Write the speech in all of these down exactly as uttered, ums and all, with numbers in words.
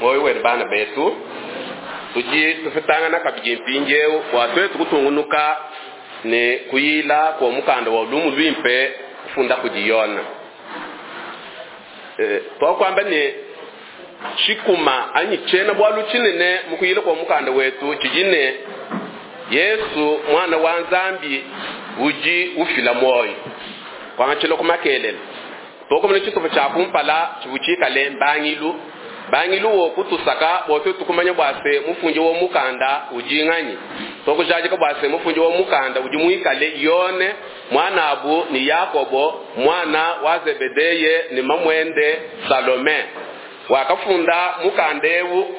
Muoyo wenu bana betu, tudi tupetangana kabidi mpindieu bua tuetu kutungunuka ne kuyila kua mukanda wa lumu luimpe kufunda kudi Yone. E, twakwamba ne tshikuma anyi tshiena bualu tshinene mu kuyila kua mukanda wetu tshidi ne Yesu mwana wa Nzambi udi ufila muoyo. Kwangatshila ku makelele tokomene tshitupa tshia kumpala tshivua tshikale mbangilu. Bangilu wo kutusaka bua tuetu kumanya bua se mufundi wa mukanda udi nganyi. Tokujadika bua se mufundi wa mukanda udi muikale Yone mwanabu ni Yakobo mwana wa Zebedeye ni mamwende Salome. Wakafunda mukanda ewu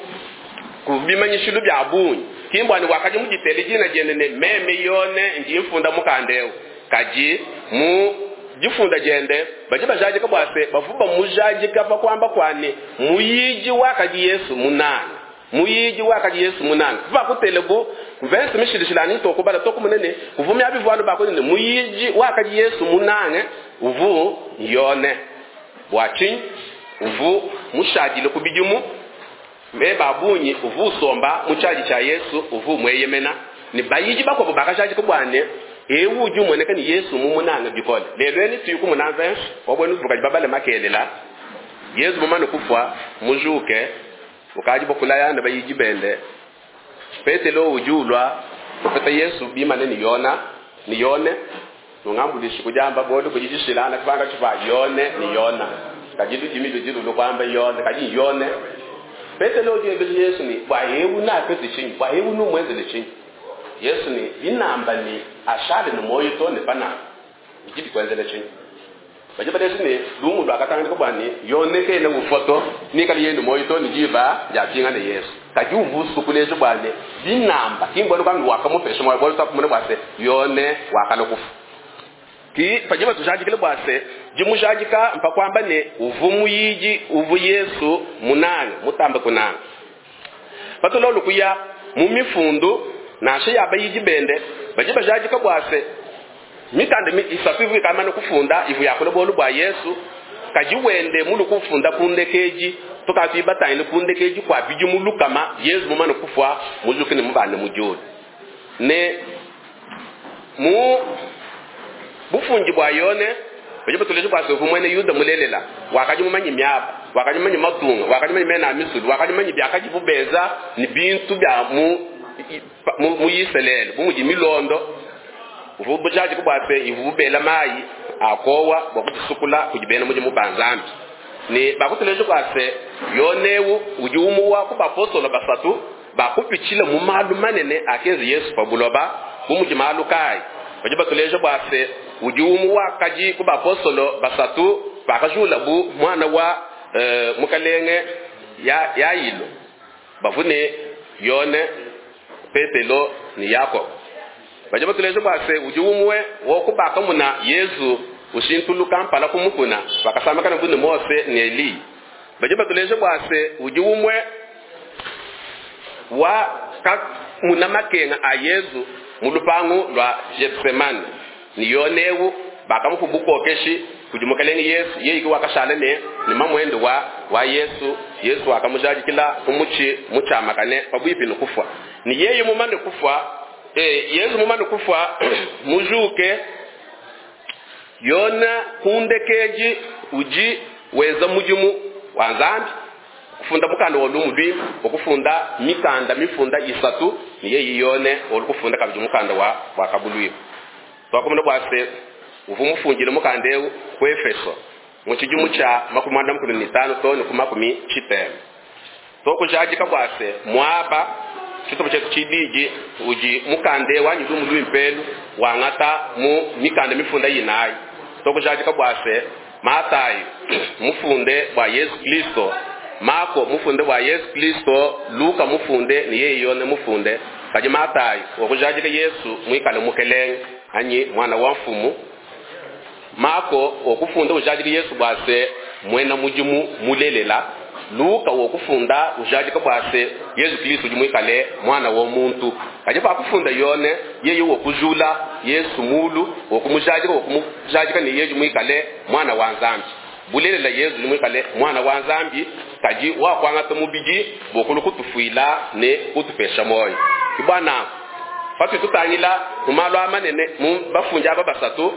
ku bimanyishilu bya bungi. Kimbwani wakaji mujitele jina jene ne meme Yone ndi mfunda mukanda ewu. Kaji mu jifunda jende baji bajadika bua se bavuba mujadika pa kwamba kwani muyiji wakaji Yesu munana. Muyiji wakaji Yesu munana. Kuva kutelebu verse mishilishilani tokubala tokumunene kuvumya bivwalo bakoni ne muyiji wakaji Yesu munane uvu Yone. Bwachi uvu mushadile kubidimu me babunyi uvu somba muchaji cha Yesu uvu mweyemena ni bayiji bakobo bakashadika bwane ewu udi umoneka ni Yesu mumunanga bikole. Lelo eni tuyi kumunanza wabwenu vukaji babale makelela. Yesu mumane kufwa mujuke ukaji bokulaya ne bayiji bende. Petelo ujulwa kupeta Yesu bimane ni Yona ni Yone nungambulishi kujamba bodo kujishilana kipanga chifa Yone ni Yona kajidu jimidu jidu lukwamba Yone kaji Yone. Petelo ujue Yesu ni bwa ewu na pete chini bwa ewu nu mwenzele chini. Yesu ni inamba ni ashale ni moyo to ne pana ijibi kwenzele chini. Baje bade ni lumu lwa katanga ko bani Yone ke ne ufoto ni kali yenu moyo to ni jiba ya pinga ne Yesu. Kaji uvusu kulejo bwane binamba kimbona kwa wakamupesha moyo bolo takumune bwase Yone wakalokufu. Ki paje batujajikile bwase jimujajika mpakwamba ne uvumu yiji uvu Yesu munane mutambe kunana. Batulolo kuya mu mifundu nashe yabayiji bende baje bajajika bwase mikanda isatu ivu ikamana kufunda ivu yakole bolu bwa Yesu kaji wende mulu kufunda kundekeji tukatwibatanyile kundekeji kwa biji mulukama Yesu mumana kufwa muzukini mubane mujoli ne mu bufunji bwa Yone baje batuleje bwase mwene Yuda mulelela wakaji mumanyi myaba wakaji mumanyi matunga wakaji mumanyi mena misulu wakaji mumanyi byakaji bubeza ni bintu bya mu mu Yiselele bumuji milondo uvubujaji kubwase ivubela mayi akowa bwakutisukula kujibena muji mubanzambi ni bakutuleje kwase Yonewu uji umuwa ku bapostolo basatu bakupichile mu malu manene akenze Yesu pabuloba bumuji malu kai baje batuleje bwase uji umuwa kaji ku bapostolo basatu bakajula bu mwana wa e, mukalenge ya Yailo bavune Yone Petelo ni Yakobo. Baje batuleje bwase uji umwe wokubaka muna Yesu ushintuluka mpala kumukuna bakasamba kana bune Mose ni Eli. Baje batuleje bwase uji umwe wa muna makenga a Yesu mulupangu lwa Getsemane ni Yonewu bakamukubukokeshi kujimukalenge Yesu yeye wakashala ne ni mamwendo wa wa Yesu. Yesu akamujajikila kumuchi muchamakane pabwipi nokufwa ni yeye mumane kufwa eh Yesu mumane kufwa mujuke Yona kundekeji uji weza mujimu wa Nzambi kufunda mukanda wa lumu lwi okufunda mikanda mifunda isatu ni yeye Yone olukufunda kabiji mukanda wa wa kabulwi twakomuna bwase uvumufungire mukande ku Efeso mu kijumu cha makumi anda makumi mitano to ku makumi chitema tokujajika bwase mwaba chitopo chetu chidiji uji mukande wanyu lumu lwimpelu wangata mu mikanda mifunda yinayi tokujajika bwase Matayo mufunde bwa Yesu Kristo, Marko mufunde bwa Yesu Kristo, Luka mufunde ni yeye Yone mufunde. Kaji Matayo wakujajika Yesu mwikale mukelenge anyi mwana wa mfumu. Marko wakufunda ujajika Yesu bwase mwena mujimu mulelela. Luka wakufunda ujajika bwase Yesu Kristo jimwikale mwana wa muntu. Kaje bakufunda Yone yeye wokujula Yesu mulu wokumujajika wokumujajika ni yeye jimwikale mwana wa Nzambi. Bulelela Yesu jimwikale mwana wa Nzambi Kadi wakwangata mubidi bokulu kutufuila ne kutupesha moyo. Kibwana patu tutangila mu malu amanene mu bafundi aba basatu,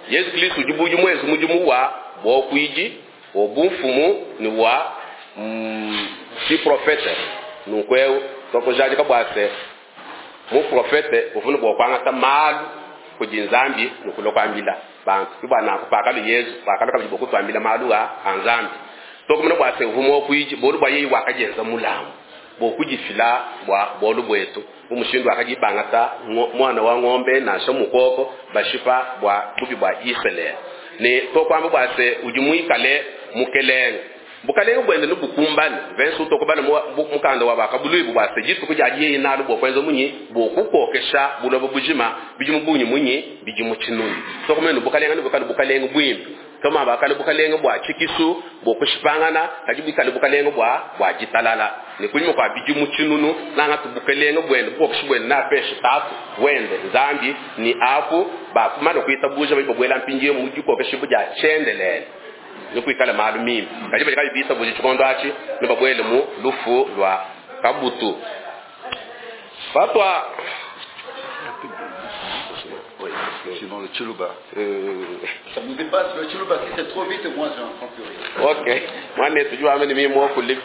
Yesu Kristo udi budi mwezi mudimu wa bokwidi obumfumu ni wa mm, si profete. Nunku tokujadika bwase mu profete uvuna bwa kwangata malu kudi Nzambi nukulo kwambila bantu. Kibwana kupakalu Yesu pakalo kabidi bokutwambila malu a Nzambi. Tokumuna bwase uvumo kwiji bolu bwa yeyi wakajenza mulamu bokujifila bwa bolu bwetu umushindu akajibangata mwana wa ng'ombe nasha mukoko bashipa bwa bubi bwa Israel. Ne tokwamba bwase udi muikale mukelenge bukalenge bwende nubukumbane vensu tokubana mukanda wa bakabulu bwase jitu kuja yeye nalu bwa kwenza munyi bokukokesha bulobo bujima bijimu bunyi munyi bijimu chinuni. Tokumene bukalenge nubukale bukalenge bwimbi kama bakale bukalenge bwa chikisu bokushipangana kajibikale bukalenge bwa bwa jitalala. Ni kulimo kwa bijimu chinunu nanga tubukalenge bwende bokushibwende na pesha tatu wende Nzambi ni apu bakumana kuita buja bibwela mpinje mujikokesha buja chendelele nikuikala malu mimi kajiba kabisa buji chikondo achi nibabwele mu lufu lwa kabutu. Fatwa sinon le Tshiluba. Euh... Ça nous dépasse, le Tshiluba, si c'est trop vite, moi j'en plus rien. Ok. Moi, je suis amené mimi kuli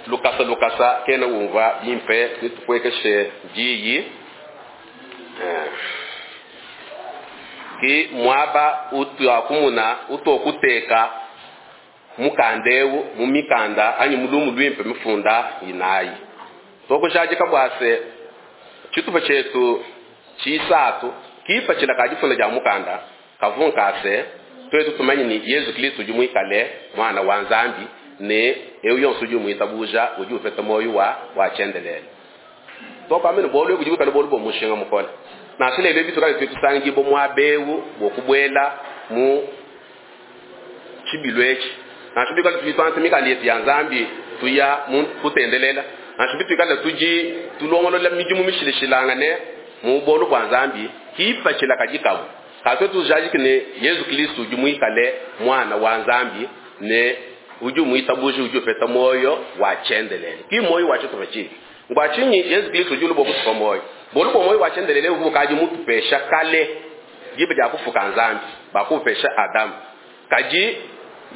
lukasa lukasa kena umva bimpe nitukwekeshe jiyi ki mwaba utu akumuna utokuteka mukandewu mumikanda anyi mulumu lwimpe mifunda inayi. Tokushaje kabwase chitupa chetu chisatu kipa chila kajifunda ja mukanda kavunkase twetu tumanyi ni Yesu Kristo jumuikale mwana wa Nzambi ne eyo yonso jumuitabuja uju ufeta moyo wa wa chendelele. Toka amene bolu kujibukale bolu bo mushinga mukola. Na shile ile bitu kale tusangi bo mwabewu bokubwela mu chibilwechi. Na shile kale tuitwanse mikali ya Nzambi tuya mu kutendelela. Na shile tukale tuji tulongolola mijimu mishilishilangane mu bolu bwa Nzambi kipa chila kajikabu. Kato tujaji kine Yesu Kristo jumuikale mwana wa Nzambi ne uju muitabuji uju peta moyo wa chendelele. Ki moyo wa chitofachi. Ngwa chinyi Yesu Kristo julu bo kutupa moyo. Bolu bo moyo wa chendelele ubukaji mutupesha kale jibe ja kufuka Nzambi bakupesha Adam. Kaji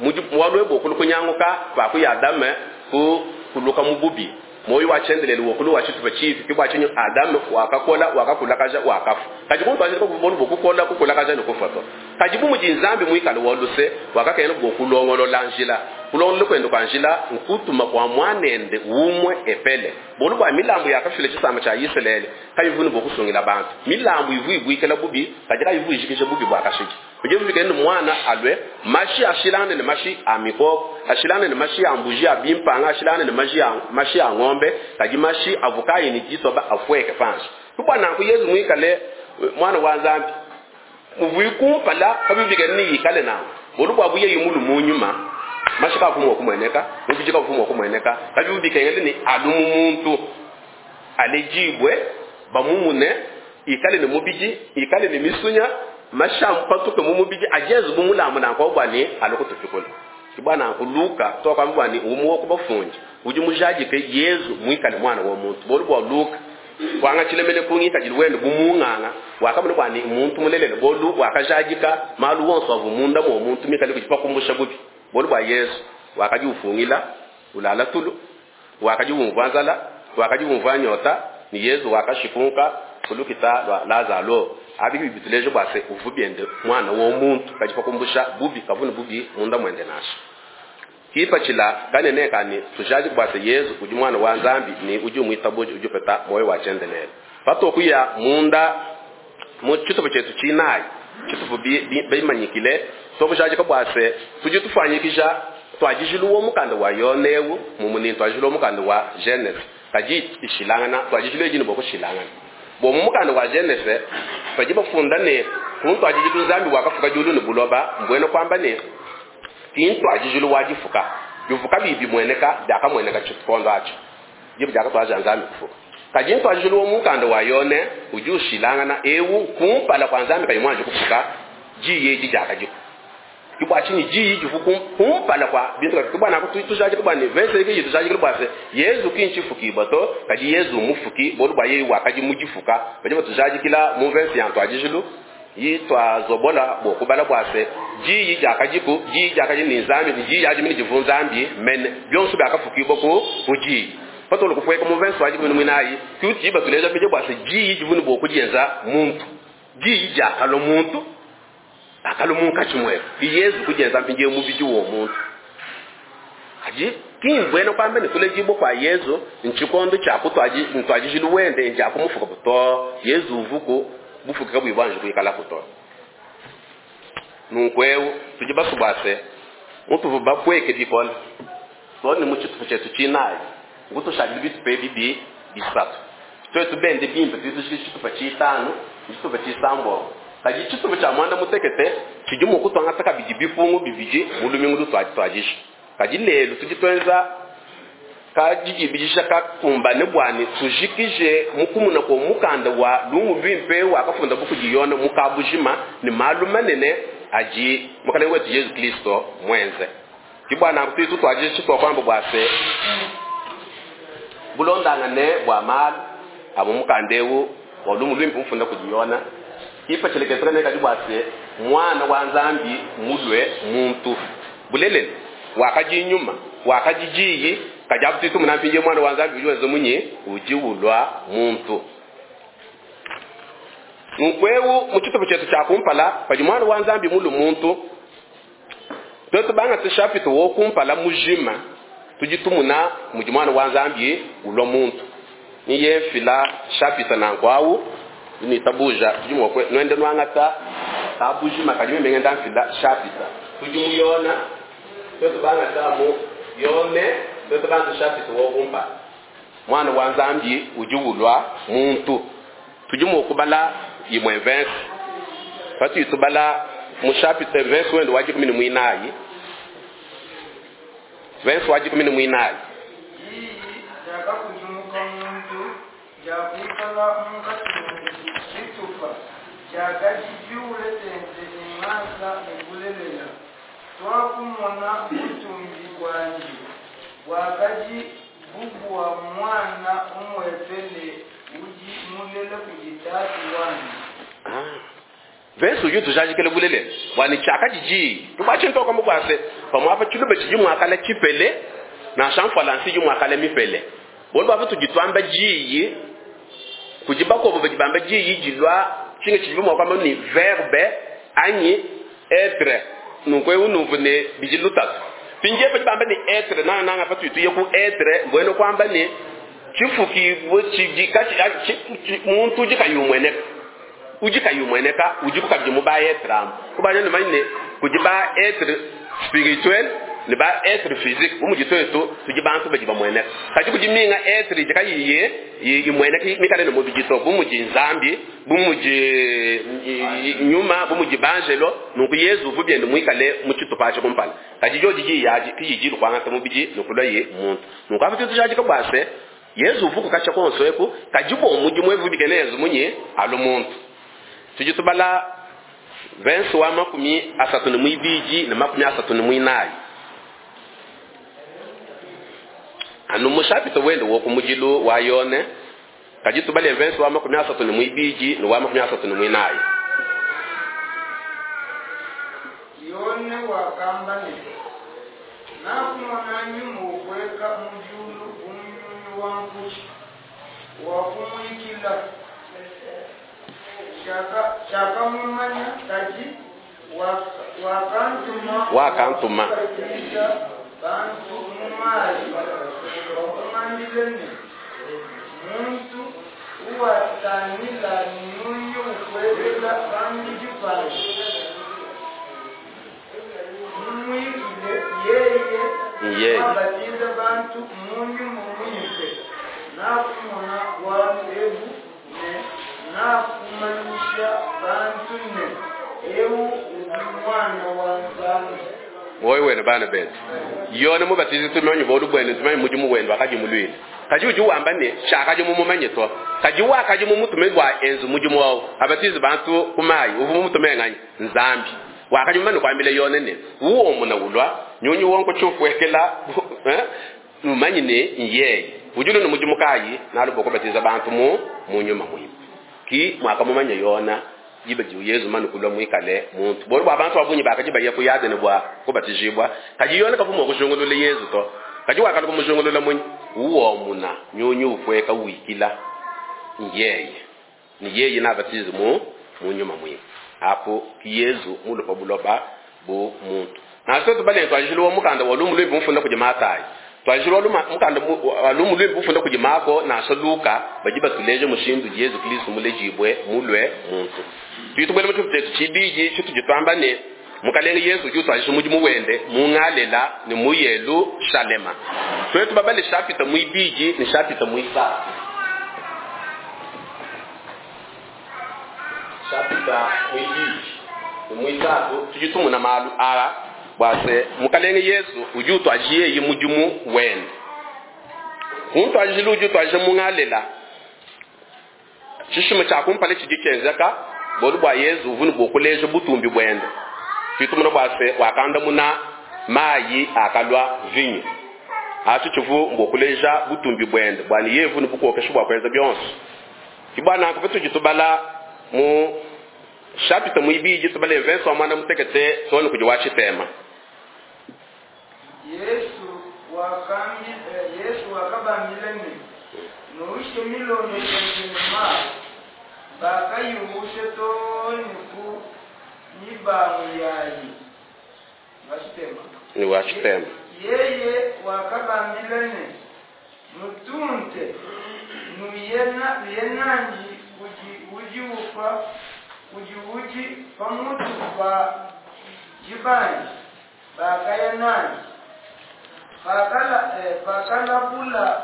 muji mwalwe bo kulukunyanguka bakuya Adam ku kuluka mububi. Moyo wa chendelele wokulu wa chitufa chifi kibwa chinyu Adam wakakola wakakula kaja wakafu. Kaji muntu ajira ko bolu bokukola kukola kaja nokufa to. Kaji bu muji Nzambi muikale woluse wakakena bokulongolo lanjila. Kulongolo kwendo kwa njila nkutuma kwa mwanende umwe epele. Bolu bwa milambo yakafile chisama cha Israeli kayivunu bokusungila bantu. Milambo ivu ibwikela bubi kaji kayivu ijikisha bubi bwa kashiki. Kuje vikende mwana alwe mashi ashilane ne mashi amiko ashilane ne mashi ambuji abimpanga ashilane ne mashi ya mashi ya ng'ombe kaji mashi avukayi ni jitoba afweke panshi. Kubwana ku Yesu mwikale mwana wa Nzambi muvikumpala kabibike ni yikale nawo. Bolu bwa buye yimulu munyuma mashi ka kumwa kumweneka mubijika kumwa kumweneka kabibike ngene ni alumu muntu alejibwe bamumune ikale ne mubiji ikale ne misunya mashampatuke mumubiji ajezu bumulamu na kwa bwani alokutupikola. Kibwana kuluka toka mbwani umuwo kubafunji uji mujajike Yesu mwikale mwana wa muntu. Bolu bwa Luka kwanga chilemele kungita jilwende bumunganga wakamuna bwani muntu mulelele bolu wakajajika malu wonso avumunda mu muntu mikale kujipa kumbusha bubi. Bolu bwa Yesu wakaji ufungila ulala tulu wakaji umvanzala wakaji umvanyota ni Yesu wakashikunka kulukita lwa Lazaro abi bibituleje bwase uvubyende mwana wo muntu kajipa kumbusha bubi kavuna bubi munda mwende nasho. Kipa chila kanene kani tujaji bwase Yesu uji mwana wa Nzambi ni uji muitabuji uji peta moyo wa chendelele. Pato kuya munda mu chitupo chetu chinayi chitupo bimanyikile sokujaji kabwase tuji tufanyikisha twajijiluwo mukanda wa Yonewu mumuni twajiluwo mukanda wa Genesis kaji ishilangana twajijiluwo jini boko shilangana. Bo mukanda wa Genesis twajiba funda ne kuntu ajijilu Nzambi wakafuka julu ni buloba mbweno kwamba ne kintu ajijilu wajifuka bivuka bibi mweneka daka mweneka chikondo acho jibu jaka twaja Nzambi kufuka. Kajintu ajijilu mukanda wa Yone ujushilangana ewu kumpala kwa Nzambi kayimwanje kufuka jiye jijaka jiko. Kibwa chini diyi divu kumpala kwa bintu kibwa na kutujaji kibwa ne verse iki tujaji kibwa se Yesu kinchifukibwa to kadi Yesu mufuki bolu bwa yeyi wakadi mujifuka badi batujaji kila mu verse ya ntwajijulu yitwa zobola bo kubala bwa se diyi jakadiku diyi jakadi ni nzambi ni diyi yaji mini divu nzambi mene byonso byakafukibwa ku kuji patolo kukweka mu verse waji kumini mwinayi kuti batuleja bije bwa se diyi divuni bo kujenza muntu diyi jakalo muntu akalo munkachi mwefu Yesu kujenza mpinje mubiji wo muntu aji kimbwene kwambe ne tulejibo kwa Yesu nchikondo cha kutwaji ntwajijilu wende nja kumufuka buto Yesu uvuko bufuka bwibanje kuikala kuto nunkweu tujibasubase muntu vuba kweke dikola tone muchitu chetu chinayi nguto shabi bitu pe bibi bisatu twetu bende bimpe tutu chitupa chitano chitupa chisambo kaji chitupa cha mwanda mutekete chijumu kutwanga taka biji bifungu bibiji mulumingu lutwaji twajisha kaji lelo tujitwenza kaji bijisha kakumbane bwani tujikije mukumuna ko mukanda wa lumu bimpe wakafunda bukujiyona mukabujima ni malu manene aji mukalenge wetu Yesu Kristo mwenze kibwana kutu twajisha chitwa kwamba bwase bulondangane bwa malu abo mukandewu wa lumu lwimpe mufunda kujiyona ifa chelekezana kadi bwase mwana wa nzambi mulwe muntu bulelele wakaji nyuma wakaji jiyi kajabu titu munampinje mwana wa nzambi ujiwenze munye ujiwulwa muntu nkwewu muchitupu chetu cha kumpala padi mwana wa nzambi mulu muntu twetu banga tishapito wo kumpala mujima tujitumuna muji mwana wa nzambi ulwa muntu niye fila chapita na nkwawu ni tabuja tujimwa kwe nwende nwangata tabujima kajime mengenda mfila chapita tujimuyona twetu banga tamu yone twetu banga chapita wo kumpa mwana wa nzambi ujiwulwa muntu tujimwa kubala imwe verse patu yitubala mu chapita verse wendo waji kumi ni mwinayi verse waji kumi ni mwinayi Iyi jakakujumuka muntu jakwikala munkati bitupa jakajibyule tente engasa nebulelela twakumona butumbi bwanji bwakaji bubwa mwana umwepele uji mulele kujitatu wanji Ah. Verse uju tujajikele bulele bwani chaka jiji tubache ntoka mubwase pamwapa chilube chiji mwakala chipele na shamfala nsiji mwakala mipele bolu baba tujitwamba jiyi kujibako bo bajibamba jiyi jilwa chinga chijibu mwakamba ni verbe anyi être nunkwe unuvu ne bijilutatu pinje bajibamba ni être na na ngapa tuituye ku être mbweno kwamba ni chifuki bo chiji kachi chi- muntu jikayumweneka ujikayumweneka ujikukabije muba être am kubanya ni manyine kujiba être spirituel ni ba être physique umujitwetu tujibantu bajibamweneka kaji kujiminga être jikayiye imweneka mikale no mubijito bumuji nzambi bumuji nyuma bumuji banjelo nuku Yesu vubyende mwikale muchitupa pacho kumpala kaji joji jiyaji kijiji kwanga mubiji nukulwa ye muntu nuku afuti tujaji kabwase Yesu vuku kacha konso eku kajibo omuji mwevu bikenezo munye alo muntu tujitubala verse wa makumi asatu ni mwibiji na makumi asatu ni mwinayi anu mushapito wende wo kumujilu wa yone kajitubale verse wa makumi asatu ni mwibiji ni wa makumi asatu ni mwinayi Yone wakamba ne nakumona nyuma okweka mujulu umunyunyu wa nkuki wakumwikila shaka shakamumanya kaji waka- wakantuma Wakantuma. wakubatiza bantu mumayi wakumandile ne muntu uwatanila nyunyu ukwekela pambiji payi mumwikile yeye Yeye. wabatiza bantu munyu mumwimpe nakumona bwalu ebu ne nakumanyisha bantu ne ewu udi mwana wa nzambi wowe wene bana betu yone mubatizi tumanyi bolu bwene tumanyi muji muwendo akaji mulwile kaji uji wamba ne shakaji mumumanye to kaji wakaji mumutume bwa enzu muji mwawo abatizi bantu kumayi uvu mumutume ngani nzambi Wakadi mumane kuambila Yone ne, uwomuna ulua nyunyi wonko tshiupuekela eh, numanyi ne nyeye udi ne mudimu kayi nalu bokubatiza bantu mu mu nyuma muimpe. Ki mwakamumanya Yona diba di Yezu mane kulua muikale muntu. Bualu bua bantu ba bungi bakadi baya ku Yadene bua kubatijibua, kadi Yona kavua mua kujungulula Yezu to. Kadi wakalua kumujungulula munyi? Uwomuna nyunyi upueka wikila nyeye ni yeye nabatize mu mu nyuma muimpe. Apo ki Yezu mulupa buloba bu muntu. Nansha tubale twajilo wa mukanda wa lumu lwimpe mufunda kudi Matayi, twajilo wa mukanda wa lumu lwimpe mufunda kudi Mako nansha Luka, badi batuleja mushindu Yezu Kristo mulejibwe mulwe muntu. Tuitubwele mu tshitupa tshibidi tshitudi twamba ne Mukalenge Yesu udi utwajisha mudimu wende mu Ngalela ne mu Yelushalema. Twetu babale chapitre muibidi ne chapitre muisatu. Chapitre muibidi ne muisatu tudi tumuna malu aa bua se Mukalenge Yesu udi utwajisha mudimu wende. Kuntwajila udi utwajisha mu Ngalela. Tshishima tshia kumpala tshidi tshienzeka bualu bua Yesu uvua ne bua kuleja butumbi buende. Tuitumuna bua se wakandamuna mayi akalua vinyo. Atshi tshivu mbua kuleja butumbi buende bua ne yevu ne bukokesha bua kuenza bionso. Ki bua nanku patudi tubala mu chapitre muibidi tubale verse wa mwana mutekete tone kudi wa tshitema. Yesu wakambi, eh, Yesu wakabambila ne nuushe milondo yende ne mayi bakayuushe too ne ku mibangu yayi. Wa tshitema. Ni wa tshitema. Yeye wakabambila ne nutunte nuyena nuyenanji kudi udi ufa kudi udi pamutu pa jibanji bakaya nanji pakala eh, pakalabula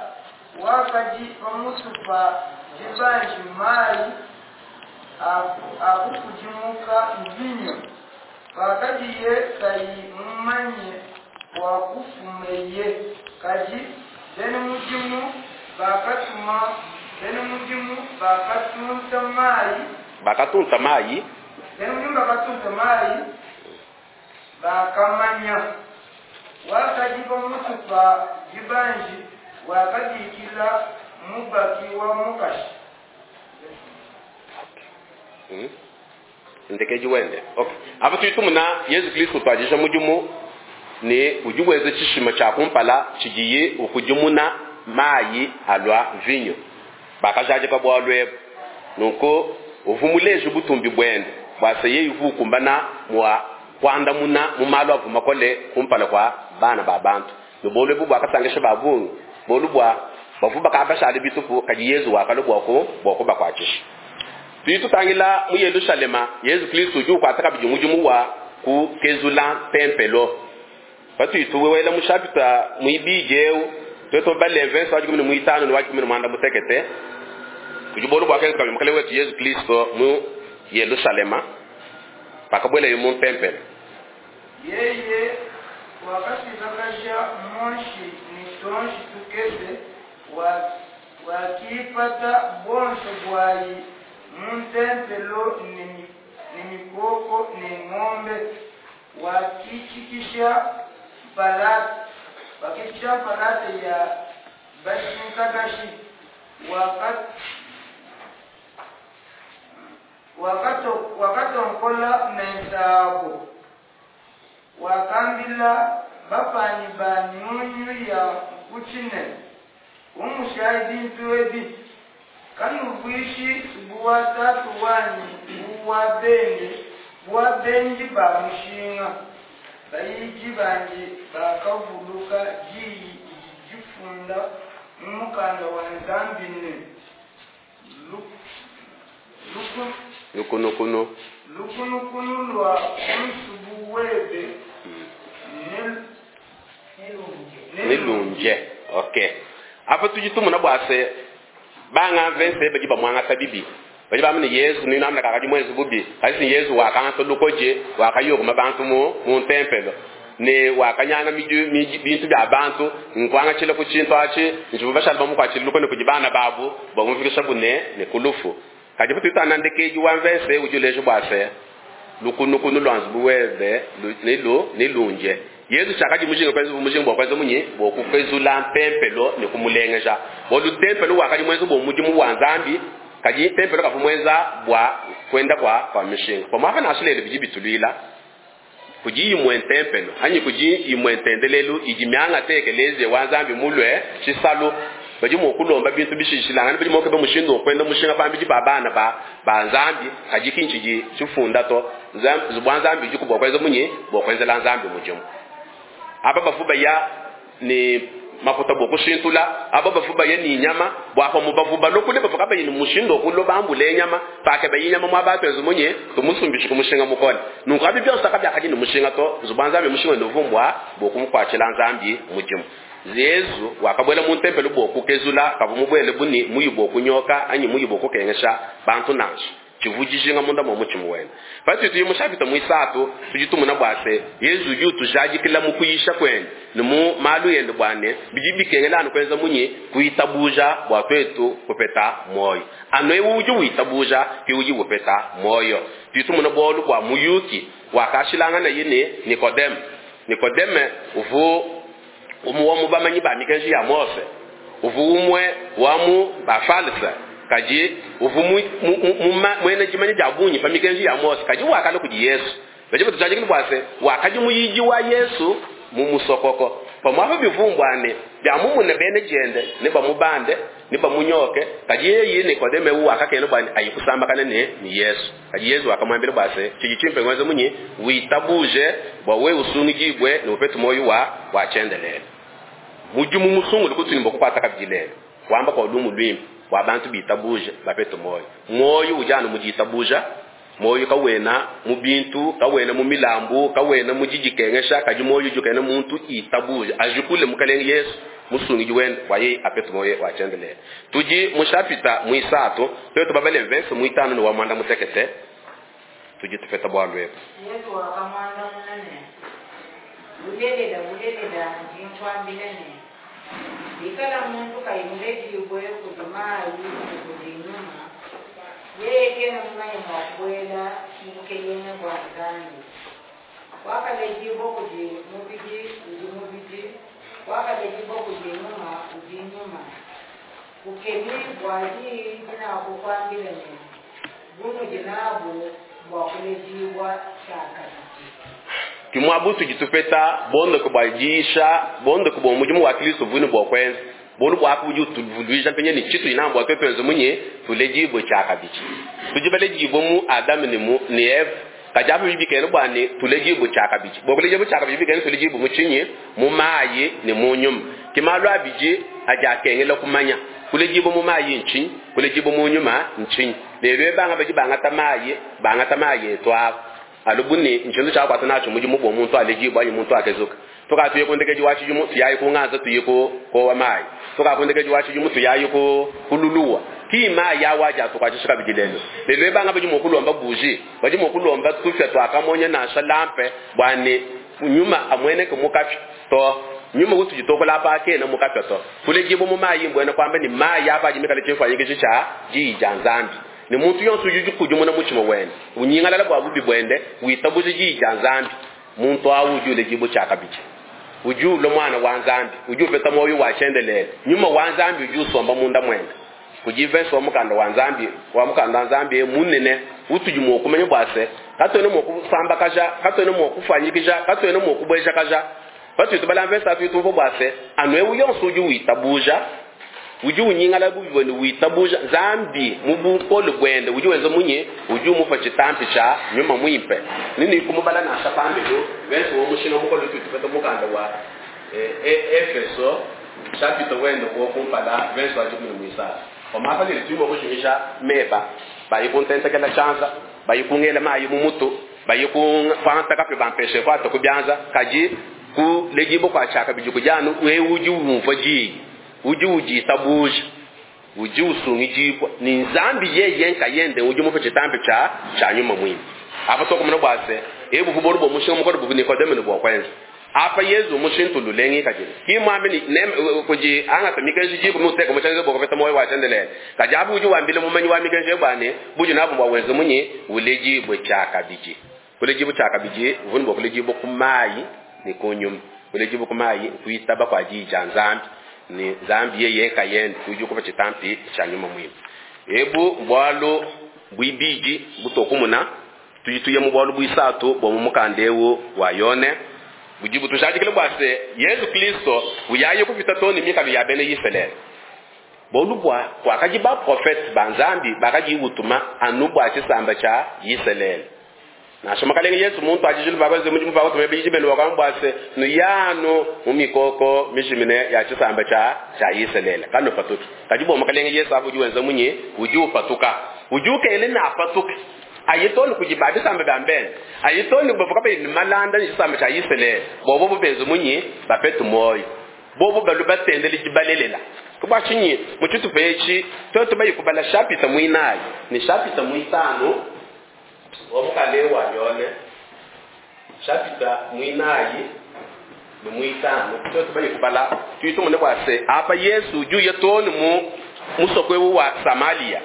wakadi pamutu pa jibanji mayi akukudimuka mvinyo pakadiye kayi mumanye wakufumeye kadi bena mudimu bakatuma bena mudimu bakatunta mayi bakatunta mayi bena mudimu bakatunta mayi bakamanya wakadi pamutu pa jibanji wakabikila mubaki wa mukashi. Hmm? Ndekeji wende. Okay. Apa tuitumuna Yesu Kristo twajisha mudimu ne udi wenza tshishima tshia kumpala tshidiye ukudimuna mayi alua vinyo. Bakajadika bualu ebu. Nunku uvua muleje butumbi buende bua se yeye uvua ukumbana mua kuandamuna mu malu avua makole kumpala kua bana ba bantu. Ne bualu ebu buakasangisha ba bungi, bualu bua bavua bakabashale bitupu, kadi Yezu wakalua bua ku bua kubakuatshisha. Tudi tutangila mu Yelushalema, Yezu Kristo udi ukuata kabidi mudimu wa kukezula tempelo. Patudi tuwela mu chapitre muibidi eu, twetu bale verse wa dikumi ne muitanu ne wa dikumi ne muanda mutekete, kudi bualu buakenza kabidi Mukalenge wetu Yezu Kristo mu Yelushalema pakabuelaye mu tempelo. Yeye wakashikakaja monshi ne tonshi tukese wa wakipata bonso bwayi mu ntempelo ne ne mikoko ne ng'ombe wakichikisha mpalata wakichikisha mpalata ya bashinkakashi waka wakato wakatonkola mensabo wakambila bapanyi ba nyunyu ya nkuchine umushayi bintu ebi kanubwishi buwa tatu wanyi buwa bende buwa benji ba mushinga bayiji banji bakavuluka diyi didi difunda mu mukanda wa Nzambi ne luku lukunukunu lukunukunu lwa nsubu webe ne nelunje. Okay. Apa tudi tumuna bua se banga verse badi bamwangata bibi badi bamene Yesu ni namna kakadi mwezi bubi kasi Yesu wakanga lukoje wakayoguma bantu mu mu tempelo ne wakanyanga miju bintu bya bantu nkwanga chile ku chintu achi njibu bashala bamukwachile lukone kudi bana babu bamufikisha bune ne kulufu. Kadi patu tana ndekeji wa verse udi uleje bua se Lukunukunu lua nzubu webe lu- nilu nilunje. Yesu chakadi mujinga kwenza mujinga bwa kwenza munyi bwa kukezula ntempelo ne kumulengeja. Bolu tempelo wakadi mwenza bwa mudimu wa Nzambi, kadi tempelo kafumwenza bwa kwenda kwa kwa mishinga. Kwa mwaka na bidi bitulwila kudi imwe ntempelo anyi kudi imwe ntendelelu idi mianga tekeleze wa Nzambi mulwe tshisalu badi mua kulomba bintu bishishilangana badi mua keba mushindu wa kwenda mushinga pambidi pa bana ba ba Nzambi kadi kinchi di tshifunda to Nzambi bwa Nzambi budi kubwa kwenza munyi bwa kwenzela Nzambi mudimu. Aba bafu baya ni mafuta bwa kushintula, aba bafu baya ni nyama bwa pa mubavu balokule bafu kaba ni mushindo kulo bambule nyama pake bayi nyama mwa batu ezo munye tumusumbisha kumushinga mukole. Nunku abi byonse akabya kadi ni mushinga to nzubu Nzambi mushinga ndovumbwa bwa kumukwachila Nzambi mudimu. Yesu wakabwela mu ntempelo bwa kukezula kavu mubwele buni muyibo kunyoka anyi muyibo kukengesha bantu nansha. Chivujijinga munda mwa muchimu wena. Patu tuyi mushapita mwisatu tujitumuna bwase Yesu udi tujadikila mu kuyisha kwene ni mu malu yende bwane bidi bikengela anu kwenza munyi kuitabuja bwa twetu kupeta moyo. Ano ewu udi witabuja ki udi kupeta moyo. Tuyitumuna bolu bwa muyuki wakashilangana yine Nikodeme. Nikodeme uvu umu wa mubamanyi ba mikenji ya Mose. Uvu umwe wa mu bafalsa. Kaji uvu mu, mu, mu, mu, mwene jimanye ja bunyi pa mikenji ya Mose kaji wakala kudi Yesu. Baje batujaje kini bwase wakaji muyiji wa Yesu mu musokoko. Pamwa bivumbwane bya mumune bene jende ne bamubande ne bamunyoke kaji yeye Nikodeme uwa akakene bwane ayikusamba kana ne ni Yesu. Kaji Yesu akamwambira bwase chiji chimpe ngweze munyi witabuje bwa we usungijibwe ne upetu moyo wa wa chendelele. Mujumu musungu lukutuni bokukwata kabijilele. Wamba kwa lumu lwimbi wa bantu bitabuje bapeto moyo. Moyo ujana mujitabuja, moyo kawena mu bintu, kawena mu milambu, kawena mu jijikengesha, kaji moyo jukena muntu itabuje. Ajukule mukalenge Yesu musungiji wende waye apeto moyo wa chendele. Tuji mushapita mwisato, twetu babale verse mwitano ni wa mwanda mutekete. Tuji tufeta bwa lwepo. Yesu akamwanda munene. Bulelela bulelela ndinkwambile ne. Bikala muntu kayimulejibwe kudi mayi kudi nyuma. Yeye kena mumanye mwa kubuela mubukelenge bwa Nzambi. Wakalejibwe kudi mubidi udi mubidi, wakalejibwe kudi nyuma udi nyuma. Kukemi bwa diyi dinakukwambile ne bunudi nabu bwa kulejibwa tshiakabidi. Kimwabu tujitupeta bondo kubajisha bondo kubo mudimu wa Kristo vunu bwa kwenza bolu bwa kuju tuvuluija penye ni chitu inambwa twepenzo munye tulejibwe tshiakabidi. Tujibale jibo mu Adam ni mu ni Eve kajabu bibikene bwane tulejibwe tshiakabidi. Bo kulejibwe tshiakabidi bikene tulejibwe mu chinyi mu mayi ni mu nyuma. Kimalu abiji ajakengela kumanya kulejibwe mu mayi nchi kulejibwe mu nyuma nchi. Lelo banga baji banga tamayi banga tamayi etwa alubuni nchindu chakwata nacho mujimu bwo muntu alejibwa anyi muntu akezuka. Tukatuye kundekeji wachi jumu tuyayi kunganza tuye ko ko wa mayi. Tukakundekeji wachi jumu tuyayi ko kululuwa. Ki mayi yawaja tukwachishika bijilelo. Lelo banga baji mokulomba buji, baji mokulomba tufya twakamonya na shalampe bwane nyuma amweneke mukafi to nyuma kutu jitokola pa ke na mukafi to. Kulejibo mu mayi mbwena kwamba ni mayi apa jimikale chimfa yikichi cha jija Nzambi. Ni muntu yonse ujuju kujumuna muchimo wene. Unyingalala bwa bubi bwende, witabuje jija Nzambi. Muntu awu ujule jibo chakabichi. Ujulo mwana wa Nzambi, ujupeta moyo wa chendelele. Nyuma wa Nzambi ujusomba munda mwenda. Kujivenso mukanda wa Nzambi, wa mukanda wa Nzambi munene, utujumo kumenya bwase. Katwene mo kusamba kaja, katwene mo kufanyikija, katwene mo kubweja kaja. Batu tubala mvesa tu tu bwase, anwe yonse uju witabuja. Uju unyingala bubi bwende witabuja Nzambi mubukolo bwende uju wenzo munye uju mufa chitampi cha nyuma mwimpe. Nini kumubala na shapambe do wenzo wo mushinga mukolo tu tupeta mukanda wa eh, eh, Efeso chapitre wende ko kumpala wenzo aje mu mwisa. Omapa lili tubo kushimisha meba bayi kuntenta kala chanza bayi kungela mayi mumutu bayi kumpanta kape bampeshe kwa to kubyanza kaji ku lejibo kwa chaka bijuku janu we uju umva ji uji uji tabuja uji usungijibwa ni Nzambi yeye nkayende uji mufe chitambe cha cha nyuma mwini. Apa toko mna bwase ebu kuboru bo mushinga mukoro bu Nikodemo ni bwa kwanza. Apa Yesu mushintu lulengi kajini. Ki mwambi ni nem kuji anga tamike jibu muteka muchanze boko peta moyo wa chendelele. Kajabu uji wambile mumanyi wa mikenje bwane buju nabo bwa wenzo munye uleji bwe chaka biji. Kuledibua tshiakabidi uvua bua kuledibua ku mayi ne ku nyuma. Kuledibua ku mayi nkuitaba kua diyi dia Nzambi ne Nzambi yeye nkayende udi ukupa tshitampi tshia nyuma muimpe. Ebu bualu buibidi butokumuna tudi tuya mu bualu buisatu bua mu mukanda eu wa Yone budi butujadikile bua se Yezu Kristo uyaye kupita too ne mikalu ya bena Isalele. Bualu bua kuakadi baprofete ba Nzambi bakadi utuma anu bua tshisamba tshia Isalele. Nansha mukalenge Yesu muntu ajijulu bakoze mudimu bakotume biji benu wakamba bua se nuyanu mu mikoko mijimine ya tshisamba tshia tshia Isalele kanupatuki. Kadi bua mukalenge Yesu abu udi wenza munyi udi upatuka udi ukele na apatuke ayitoni kudi ba bisamba bya mbene ayitoni bavuka bayi ni malanda ni tshisamba tshia Isalele bobo bubenze munyi bapetu moyo bobo balu batendele dibalelela kubwa tshinyi mu tshitupa etshi twetu bayikubala chapita muinayi ni chapita muitanu wa mukale wa Yone chapita muinayi ni muitanu twetu bayikubala tuitumune bwa se apa Yesu udi uya toni mu musoko ewu wa Samaria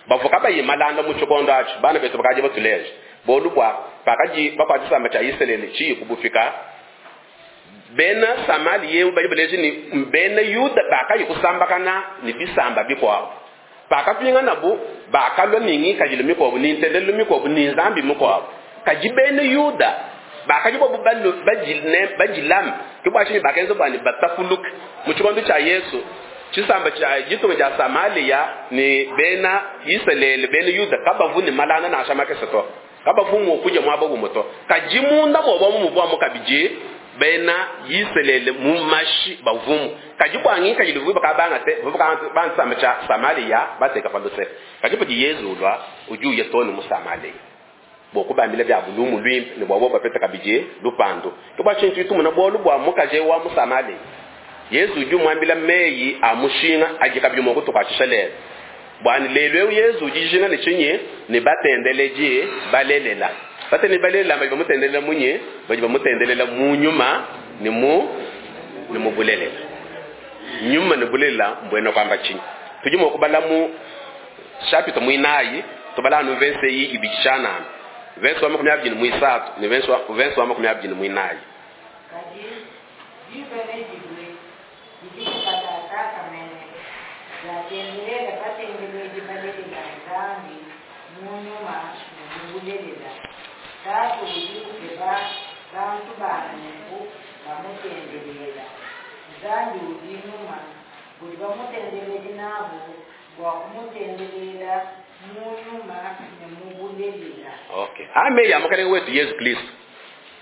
bavuka bayi malanda mu tshikondo atshi bana betu bakaji batuleje bolu bua pakaji bakwa tshisamba tshia Isalele tshiyi kubufika bena Samaria bali baleje ni bena Yuda bakayi kusambakana ni bisamba bikuabu pakapinga nabu bakalwa ni ngikadilo mikuabu ni ntendelelo mikuabu ni nzambi mikuabu kadi bena Yuda bakaji bobu balu bajilne bajilam ke bwa tshinyi bakenza bwani batafuluka mu tshikondo tshia Yesu tshisamba tshia ditunga dia Samaria ni bena Isalele bena Yuda kabavu ni malana nansha makese to kabavu mu kuja mwaba gumo to kadi munda bobo mu muvua mukabidi bena Isalele mu mashi bavumu kadi bwa ngikadilo vuba bakabanga te vuba bansamba tshia Samaria bateka paluse kadi padi Yesu ulwa udi uya toni mu Samaria bokubambila bya bulumu lwimpe ne bwabo bapeta kabidi lupando ke bwa tshintu tumuna bolu bwa mukaje wa mu Samaria Yesu udi umuambila meyi a mushinga adi kabidi mua kutukuatshisha lelo bwani lelo eu Yesu udi dijinga ne tshinyi ne batendeleji balelela batendele balelela badi bamutendelela munyi badi bamutendelela mu nyuma ne mu ne mu bulelela nyuma ne bulelela mbwena kwamba tshinyi tudi mua kubala mu chapitre muinayi tubala anu verse iyi ibidi tshianana verse wa makumi abidi ne muisatu ne verse wa verse wa makumi abidi ne muinayi Kadi diba nedilue didi katataka mene yatendelela batendeledi balelela Nzambi mu nyuma ne mu bulelela Tatu udi ukeba bantu ba nunku bamutendelela Nzambi udi nyuma budi bamutendeledi nabu bua kumutendelela mu nyuma ne mu bulelela. Okay ame ya mukalenge wetu Yesu Kristo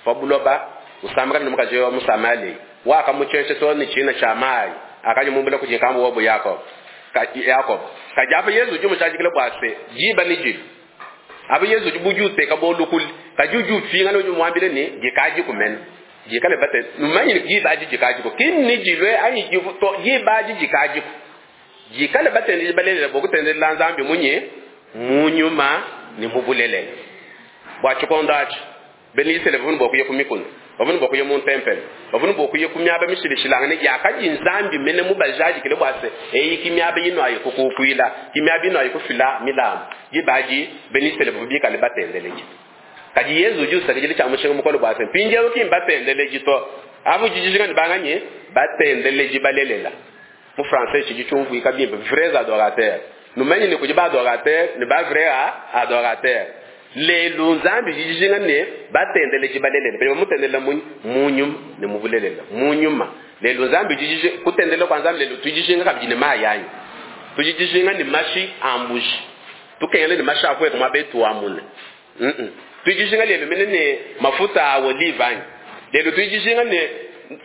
pabuloba usambakana ne mukaji wa Musamali wakamucheshe to ni china cha mai akaji mumbula kujikambo wabo Yakobo Ka- Yakobo kadi apa Yesu udi mushadikile bua se jiba ni jilu apa Yesu udi buju uteka bolukuli kadi udi ufinga ne udi muambile ni jikaji kumene jikale bate numanyi ni jiba aji jikaji ko kinni jilwe anyi jivu to jiba aji jikaji ko jikale batende balelela bokutendelela Nzambi munye mu nyuma ni mu bulelela bwa tshikondo atshi bena Isalele bavunu bokuya ku mikuna bavunu bokuya mu ntempelo bavunu bokuya ku miaba mishilishilangane yakadi Nzambi mene mubajadikile bua se eyi ki miaba ino ayi kukukuila ki miaba ino ayi kufila milambu dibaji bena Isalele bavu bikale batendeleji kadi Yesu udi usakidile tshia mushinga mukole bua se mpindieu ki mbatendeleji to abu jijijinga ne banganye batendeleji balelela mu français tshidi tshiumvuika bimpe vrais adorateurs numanyi ne kudi ba adorateur ne ba vrai adorateur lelu Nzambi jijijinga ne batendeleji balelela badi bamutendelela munyi mu nyuma ne mu bulelela mu nyuma lelu Nzambi jijiji kutendela kwa Nzambi lelu tujijinga kabidi ne mayi anyi tujijinga ne mashi a mbuji tukengele ne mashi akweka mwabetu wa mune mm tujijinga lelu mene ne mafuta a olive anyi lelu tujijinga ne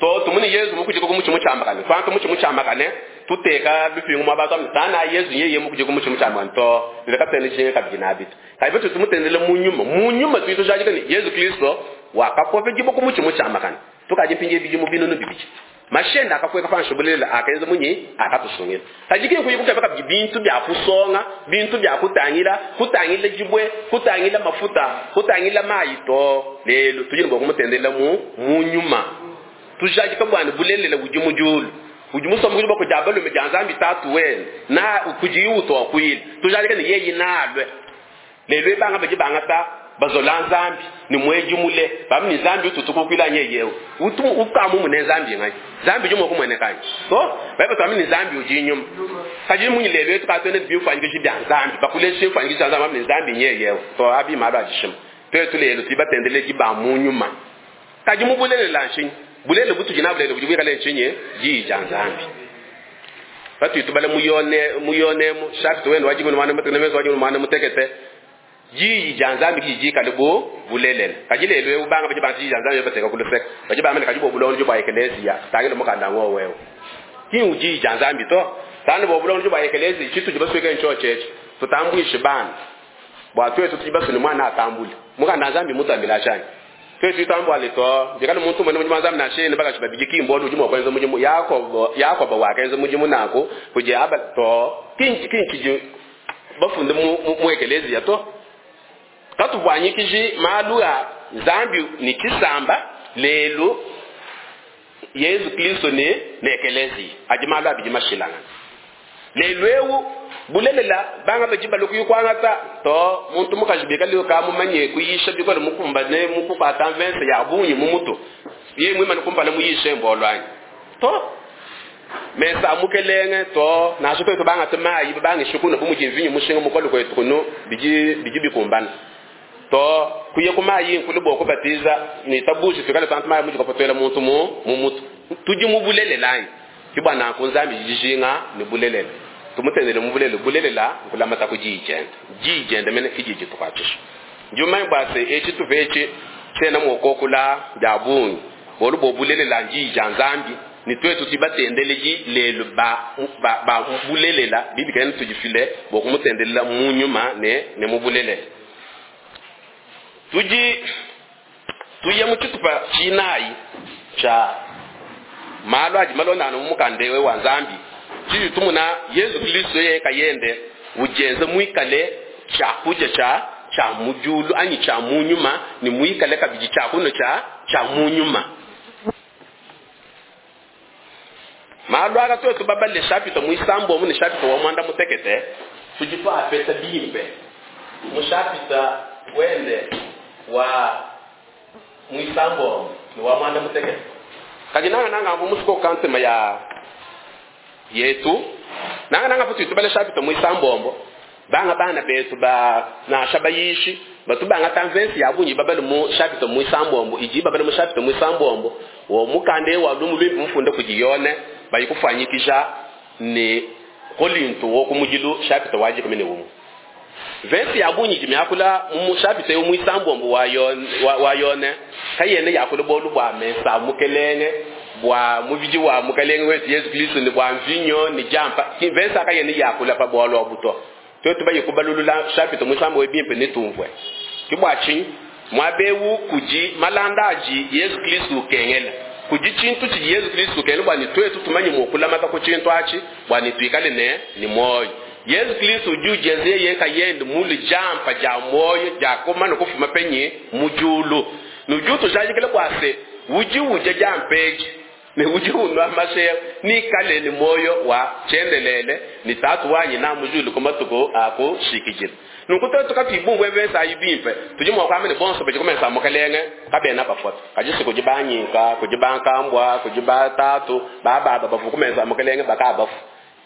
to tumuni Yesu mukujiko kumuchi muchambakane twantu muchi muchambakane tuteka bipingu mwabantu tana Yesu yeye mukujiko kumuchi muchambakane to leka tene jinga kabidi na bitu kaibe tumutendele mu nyuma mu nyuma tuito jajika ni Yesu Kristo wakapove jibo kumuchi muchambakane tukaje mpinje biji mu binono bibiji mashenda akakweka panshubulela akaenza munyi akatusongela kajike kuyikuka baka bintu bya kusonga bintu bya kutangila kutangila jibwe kutangila mafuta kutangila mayi to lelo tujini bwa kumutendela mu mu nyuma tujajika bwana bulelela udi mu julu udi musoma kudi bakujaba lume dia Nzambi tatu wene na kujiuto akwile tujajika ni yeyi nalwe lelo ebanga baji bangata bazola nzambi ni mweji mule bamu ni nzambi ututukukwila nyeyewe utu ukamu mune nzambi ngai nzambi jumo kumwene kanyi so baiba twami ni nzambi uji inyuma kaji munyi lelo yetu katwene bimfanyikisho bya nzambi bakulesha imfanyikisho bya nzambi bamu ni nzambi nyeyewe so abi malo ajishima twetu lelo tubatendele ba munyuma kaji mubulelela nshinyi bulele butujina bulele bujibwikale nshinyi jija nzambi batu tubale muyone muyone mu chapter wenu wajibu mwana mutekete mezo wajibu mwana mutekete jiji ja nzambi jiji kalibu bulelela kajilelwe ubanga baje bantu jiji nzambi bateka kuluseka baje bamene kajibo bulonjo bwa eklezia tangile mukanda ngo wewe kingu jiji ja nzambi to tani bo bulonjo bwa eklezia chitu jibasweke nchocheche tutambwishe bana bwa twetu tujibasuni mwana atambule mukanda nzambi mutambila chani twetu tambwa to ndikali muntu mwene mujimu nzambi nashene baka chibabiji kimbo ujimu kwenza mujimu yakobo yakobo wakenza mujimu nako kuje aba to kinchi kinchi bafunde mu mu eklezia to katubwanyikiji malu a nzambi ni kisamba lelo Yesu Kristo ne nekelezi aji malu abiji mashilanga lelo ewu bulelela banga baji baluku yukwangata to muntu mukajibika leo kamumanye kuyisha bikole mukumba ne mukupata mvense ya bunyi mumuto ye mwima nikumpala muyishe mbolwanyi to mesa mukelenge to nasho to banga temayi banga shukuna bumuji mushinga mukolo kwetu kuno biji biji bikumbana to kuye kumayi nkulu boko batiza ni tabushi tukale tantu mayi muji kopotela muntu mu mumutu tuji mubulelelani kibana kunzambi jijinga ni bulelela tumutendele mubulele bulelela nkulamata kujijenda jijenda mene kijiji tukwachisha njuma bwase echi tuvechi tena mwokokula jabungi bolu bobulelela njija nzambi ni twetu tibatendeleji lelo ba ba, ba bulelela bibi kene tujifile bokumutendelela munyuma ne ne mubulelela tuji tuye muchitupa chinayi cha malo aji malonda no mukandewe wa nzambi chiji tumuna Yesu Kristo ye kayende ujenze mwikale cha kuja cha cha mujulu anyi cha munyuma ni mwikale kabiji cha kuno cha cha munyuma malo aka twetu babale chapter muisambo mu ni chapter wa mwanda mutekete tujitwa apeta bimpe mu chapter wende wa muisambo ni wa mwanda mutekete kajinanga nanga mbu musiko kansema ya yetu nanga nanga futu tubale chapter muisambombo banga bana betu ba na shabayishi batubanga tanvensi yabunyi babale mu chapter muisambombo iji babale mu chapter muisambombo wo mukande wa lumu lwimbi mfunde kujiyone bayikufanyikisha ni Korinto wo kumujilu chapter waji kumene umu vensi yabunyi jimyakula mu chapter yo muisambombo wa yone wa yone kayene yakula bolu bwa mesa mukelenge bwa mubiji wa mukelenge wetu Yesu Kristo ni bwa mvinyo ni jampa vensi akayene yakula pa bwalo obuto twetu bayikubalulula chapter muisambo webimpe nitumvwe kibwachi mwabewu kuji malandaji Yesu Kristo kengela kuji chintu chi Yesu Kristo kengela bwani twetu tumanye mukula mata ku chintu achi bwani twikale ne ni moyo Yesu Kristo juje zeye kayende muli jampa ja moyo ja komana kufuma penye mujulu nujuto jajikele kwase uji uje jampeji ne uji unwa mashe ni kale ni moyo wa chendelele ni tatu wanyi na mujulu komatuko ako shikijira nukuto tukatibungwe besa ayibimpe tujimwa kwamene bonso bejikomesa mukelenge kabena bafota kajisi kujibanyika kujibankambwa kujibatatu baba babafukumesa mukelenge bakabafu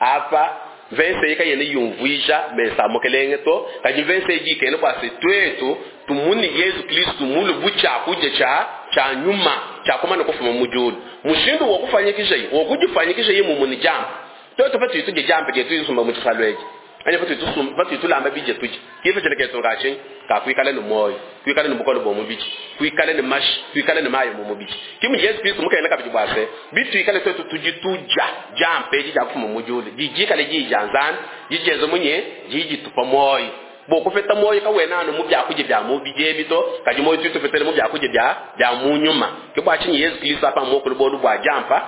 apa vense yika yene yumvwisha mesa mukelenge to kaji vense yikene kwase twetu tumuni Yesu Kristo mulu bucha kuje cha cha nyuma cha komana kufuma mujulu mushindu wokufanyikisha yi wokujifanyikisha yi mumuni jamba twetu patu tuje jamba ke tuyisumba muchisalweje anya patu tusumba patu tulamba bije tuje kifa chelekezo ngachi ka kuikale no moyo kuikale no bukolo bomu bichi kuikale ne mashi kuikale ne mayo mumu bichi kimu Yesu Kristo mukene kabiji bwase bitu ikale twetu tujituja jampe jija kufuma mujulu jijikale jijanzana jijezo munye jiji tupa moyo bokufeta moyo kawena no mubya kuje bya mubije bito kaji moyo tutufetele mubya kuje bya bya munyuma kibwachi Yesu Kristo apa mokulu bolu bwa jampa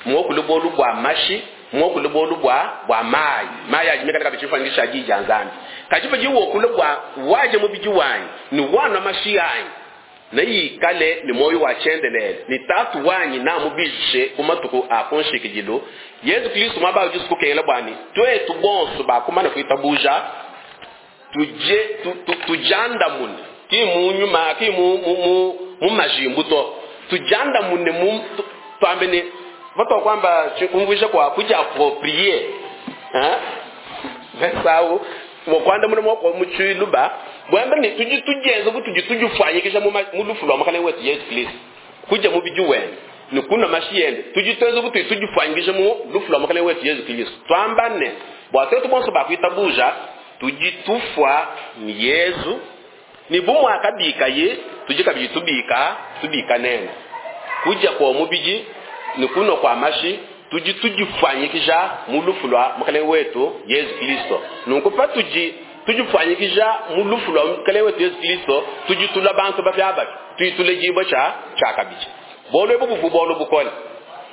mokulu bolu bwa mashi mokulu bolu bwa bwa mayi mayi ajimeka kabichifanisha jija nzambi kachipa jiwo kule bwa waje mubiji wanyi ni wana mashi yanyi na yikale ni moyo wa chendelele ni tatu wanyi na mubishe kumatuku akonshikijilo Yesu Kristo maba ujisukukela bwani twetu bonso bakumana kuitabuja tuje tu, tu, tujanda mune Ki mu nyuma ki mu mu mu, mu majimbu to. Tujiandamune mu twambe ne vatwa kwamba chikumvuisha kwa kujiapproprier hein vesau mokwandamuna mwako muchiluba bwamba ni tuji tujenza butuji tujifanyikisha mu mu lufu lwa makale wetu Yesu Kristo kuja mu biju wene ni kuna mashiyende tujitenza butuji tujifanyikisha mu lufu lwa makale wetu Yesu Kristo twambane bwatetu bonso bakwitabuja tujitufwa ni Yesu ni bumwe akabika ye tujikabiji tubika tubika nene kuja kwa mubiji ni kuno kwa mashi tuji tujifanyikisha mu lufu lwa mukale wetu Yesu Kristo. Nunku pa tuji tujifanyikisha mu lufu lwa mukale wetu Yesu Kristo tujitula bantu bafya bafi tuyitule jibo cha cha kabichi bolo ebu buvu bolo bukole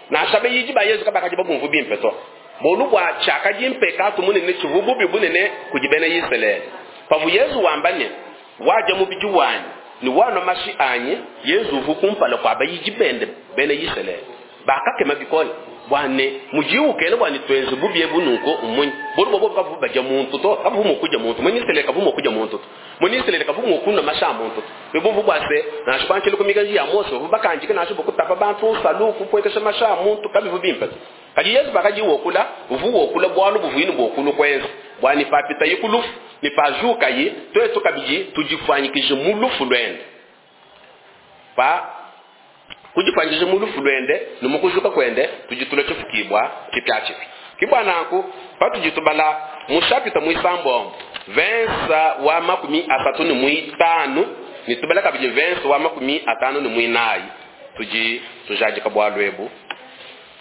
na shabe yiji ba Yesu kabaka jibo bumvu bimpe to. Bolo bwa chaka jimpe ka tumune ne chivubu bibunene kujibene Israeli pavu Yesu wambane waja mubiji wanyi ni wana mashi anyi Yesu vukumpala kwa bayiji bende bene Israeli bakakema bikole bwane mujiukele bwane twenze bubye bunuko umunyi. Bolo bobo kavu baja muntu to kavu mukuja muntu. Mwenye Israeli kavu mukuja muntu to. Mwenye Israeli kavu mukunda masha muntu to. Bebo bwase na shipanchele kumika ya Mose bakanjike na shibo kutapa bantu saluku kwekesha masha muntu kabivu bimpe. Kaji Yesu bakaji wokula uvu wokula bwalo buvuini bokulu kwenza. Bwani papita yikulufu ni pajuka yi twetu kabiji tujifanyikije mulufu lwende. Pa kujifanyikije mulufu lwende numukujuka kwende tujitule chifukibwa kipya chipi kibwa nanku patujitubala mushapita muisambo vensa wa makumi asatu ni muitanu nitubala kabiji vensa wa makumi atano ni muinayi tuji tujajika bwalwebu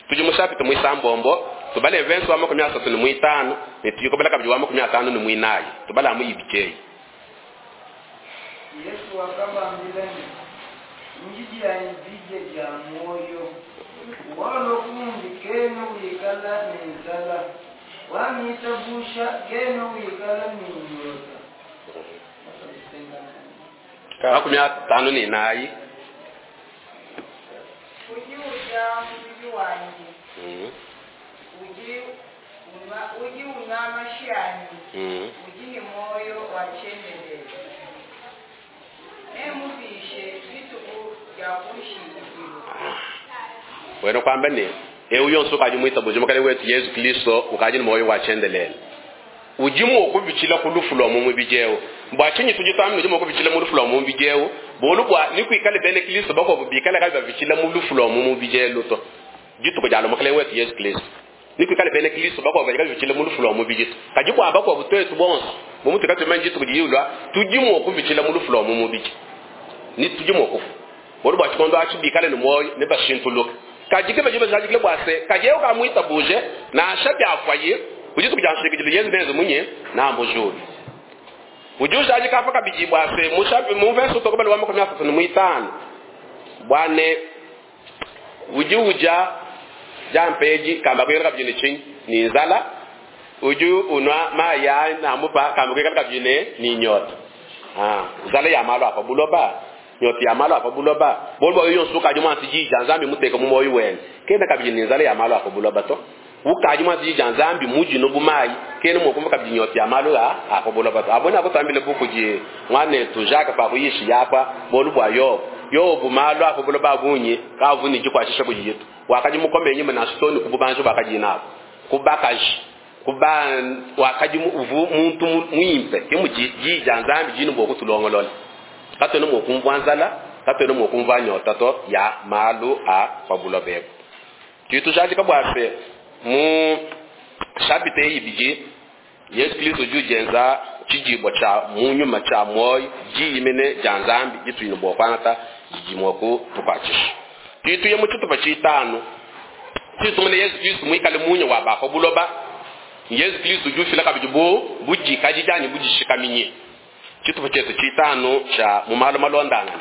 tuji mushapita muisambombo tubale vensa wa makumi asatu ni muitanu nitujikobala kabiji wa makumi atano ni muinayi tubala mu ibikei. Yesu akabambila ni njiji ya njije ja moyo walo kumbi keno wikala nenzala wamita busha keno wikala ninyota makumi atano ni nayi uji uja mubiji wanyi mm. uji unwa uji unwa mashiani mm. uji ni moyo wa chendelele emubishe bituku ya kushikiro wena kwamba ne ewu yonso ukaji mwita buji mukale wetu Yesu Kristo ukaji ni moyo wa chendelele ujimu okubichila kulufu lwa mu bijewo mbwachinyi tujitamu ujimu okubichila mu lufu lwa mu bijewo bolu bwa nikwikale bene Kristo bako bikala kabi babichila mu lufu lwa mu bijelo to jituko jalo mukale wetu Yesu Kristo nikwikale bene Kristo bako babichila mu lufu lwa mu bijito kaji kwa bako butwetu bonso mu kati manji tukujiyulwa tujimu okubichila mu lufu lwa mu biji ni tujimu okufu bolu bwa chikondo achibikale ni moyo ne bashintuluka kajike bajiba jajikile bwase kaje ukamwita buje na shabi afwaye ujitu kujanshikije Yesu benzo munye na mbujuri ujusha aje kapa kabiji bwase mushabi mu verse tokobali wa makumi asatu ni muitano bwane uji uja jampeji kamba kwera kabijine chinyi ni nzala uju unwa maya na mupa kamba kwera kabijine ni nyota ah nzala ya malo apa buloba nyota ya malo apa buloba bolbo yo nsuka juma siji janzambi muteka mu moyo wene kenda kabijine nzala ya malo apa buloba to ukaji mwa siji janzambi muji no bumayi kene mo kumva kabijine nyota ya malo apa buloba to abona kutambile buku je mwane tujaka pa kuyishi yapa bolu bwa yo yo bumalo apa buloba bunye kavuni jikwashisha kujiyetu wakaji mukombe nyuma na stone kububanjo bakaji nabo kubakaji kuba wakaji uvu muntu muimpe kemuji jijanzambi jinu bwo kutulongolola katwe no kumva nzala katwe no kumva nyota to ya malu a pabulo bebo kitu jaji kabwase mu chapitre ibiji Yesu Kristo jujenza chijibo cha munyuma cha moyo jiyimene janzambi jitwino bwo kwanata jijimoko tukwachisha kitu ye muchutu pachitano kitu Yesu Kristo mwikale munyo wa bako buloba Yesu Kristo jufila kabijibu bujika jijani bujishikaminye chitupa chetu chitano cha mumalo malondana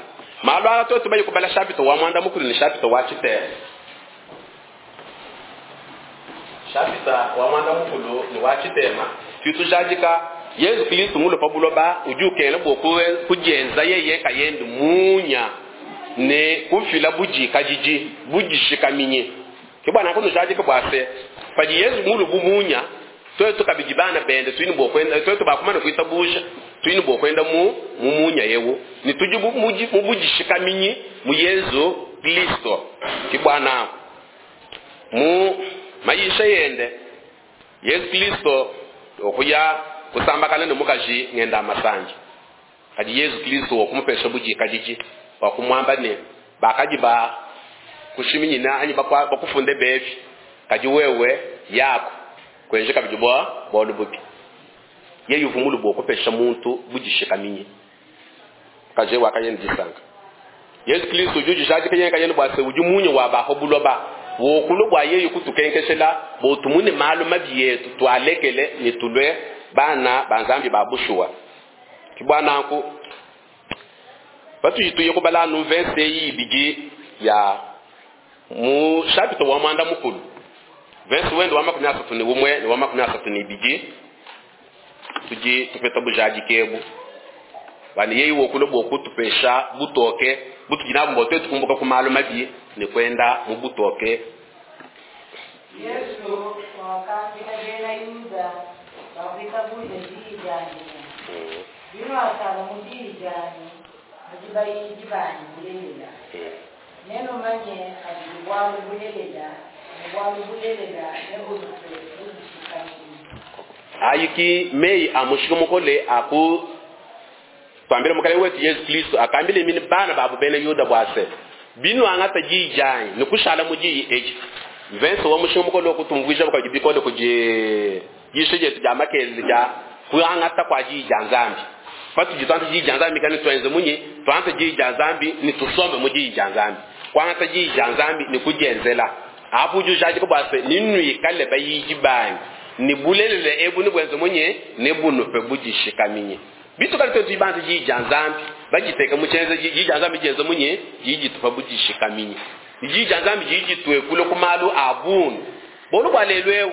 malo ala toto bayi kubala chapito wa mwanda mukulu ni chapito wa chitema chapita wa mwanda mukulu ni wa chitema kitu jajika Yesu Kristo mulo pabuloba ujukele boku kujenza yeye kayendi munya ne kufila bujika jiji bujishikaminye kibwana kono jajika bwase paji Yesu mulu bumunya twetu kabijibana bende twini bokwenda twetu bakumana kuitabusha Tudi ne bua kuenda mu mu munya eu ne tudi bu- mu mu budishikaminyi mu Yezu Kristo. Ke bua nanku mu mayisha yende Yezu Kristo okuya kusambakana ne mukaji ngenda masanje. Kadi Yezu Kristo wakumupesha budikadidi wakumwamba ne bakadi ba kushiminyina anyi bakwa- bakufunde bevi, kadi wewe yako kwenje kabidi bua bualu bubi. Yeye uvua mulu bua kupesha muntu budishikaminyi. Kaje wakayenda disanka. Yesu Kristo udi ujadika yeye kayenda bua se udi munya wa baho buloba wokulu bua yeye kutukenkeshela botumune malu mabi yetu twalekele ne tulwe bana ba Nzambi ba bushuwa. Ke bua nanku patudi tuye kubala nu verse eyi ibidi ya mu chapitre wa mwanda mukulu, verse wende wa makumi asatu ne umwe ne wa makumi asatu ne ibidi, tudi tupeta bujadiki ebu. Bani yeye wokulu bua kutupesha butoke butudi nabu bua tuetu kumbuka ku malu mabi ne kuenda mu butoke. Yesu wakambila bena Yuda bakuitabuja diyi diandi ne, binuasala mu diyi dianyi, nudi bayidi banyi bulelela. Nenumanye kabidi bualu bulelela, ne bualu bulelela nebunupe budishikaminyi. Ayiki meyi a mushinga mukole aku twambile mukalenge wetu Yesu Kristo akambile mine bana babu bena Yuda bua se binuangata diyi dianyi ne kushala mu diyi edi. Verse wa mushinga mukole okutumvuija bukadi bikole kudi yisho dietu dia makelele dia kuangata kua diyi dia Nzambi. Patudi tuangata diyi dia Nzambi kani tuenze munyi? Tuangata diyi dia Nzambi ne tusombe mu diyi dia Nzambi. Kuangata diyi dia Nzambi ne kudienzela. Apo udi ujadika bua se ninuikale bayidi banyi ne bulelela ebu ne buenze munyi? Ne bunupe budishikaminyi. Bitu kali twetu ibanza diyi dia Nzambi bajiteka mu tshienze diyi dia Nzambi dienze munyi? Diyi ditupa budishikaminyi. Diyi dia Nzambi diyi dituekule ku malu a bungi. Bolu bua lelu eu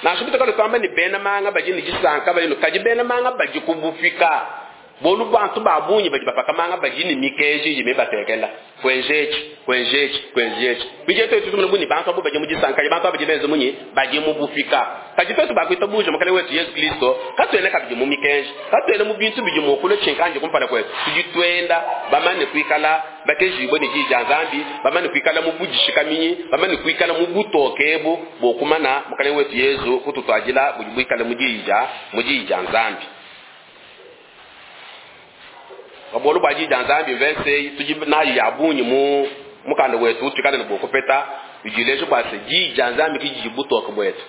nansha bitu kali tuamba ne bena manga badi ne disanka badi ne, kadi bena manga badi kubufika. Bolu bantu ba bungi badi bapaka manga badi ne mikeji idi mibatekela. Kwenjechi, kwenjechi, kwenjechi. Bije twetu tumuna buni bantu abo badi mu disanka, kadi bantu abo badi benze munyi? Badi mu bufika. Kadi twetu bakwita buja mukalenge wetu Yesu Kristo, katuena kabidi mu mikenji, katuena mu bintu bidi mu kule tshinkanje kumpala kwetu. Tudi tuenda bamane kuikala bakejibwe ne diyi dia Nzambi, bamane kuikala mu budishikaminyi, bamane kuikala mu butoke ebu bokumana mukalenge wetu Yesu kututwadila budi buikale mu diyi dia, mu diyi dia Nzambi. Babolu bua diyi dia Nzambi verse tudi nayo ya bungi mu mukanda wetu tuikale ne bokupeta bidileje bua se diyi dia Nzambi ki didi butoke buetu.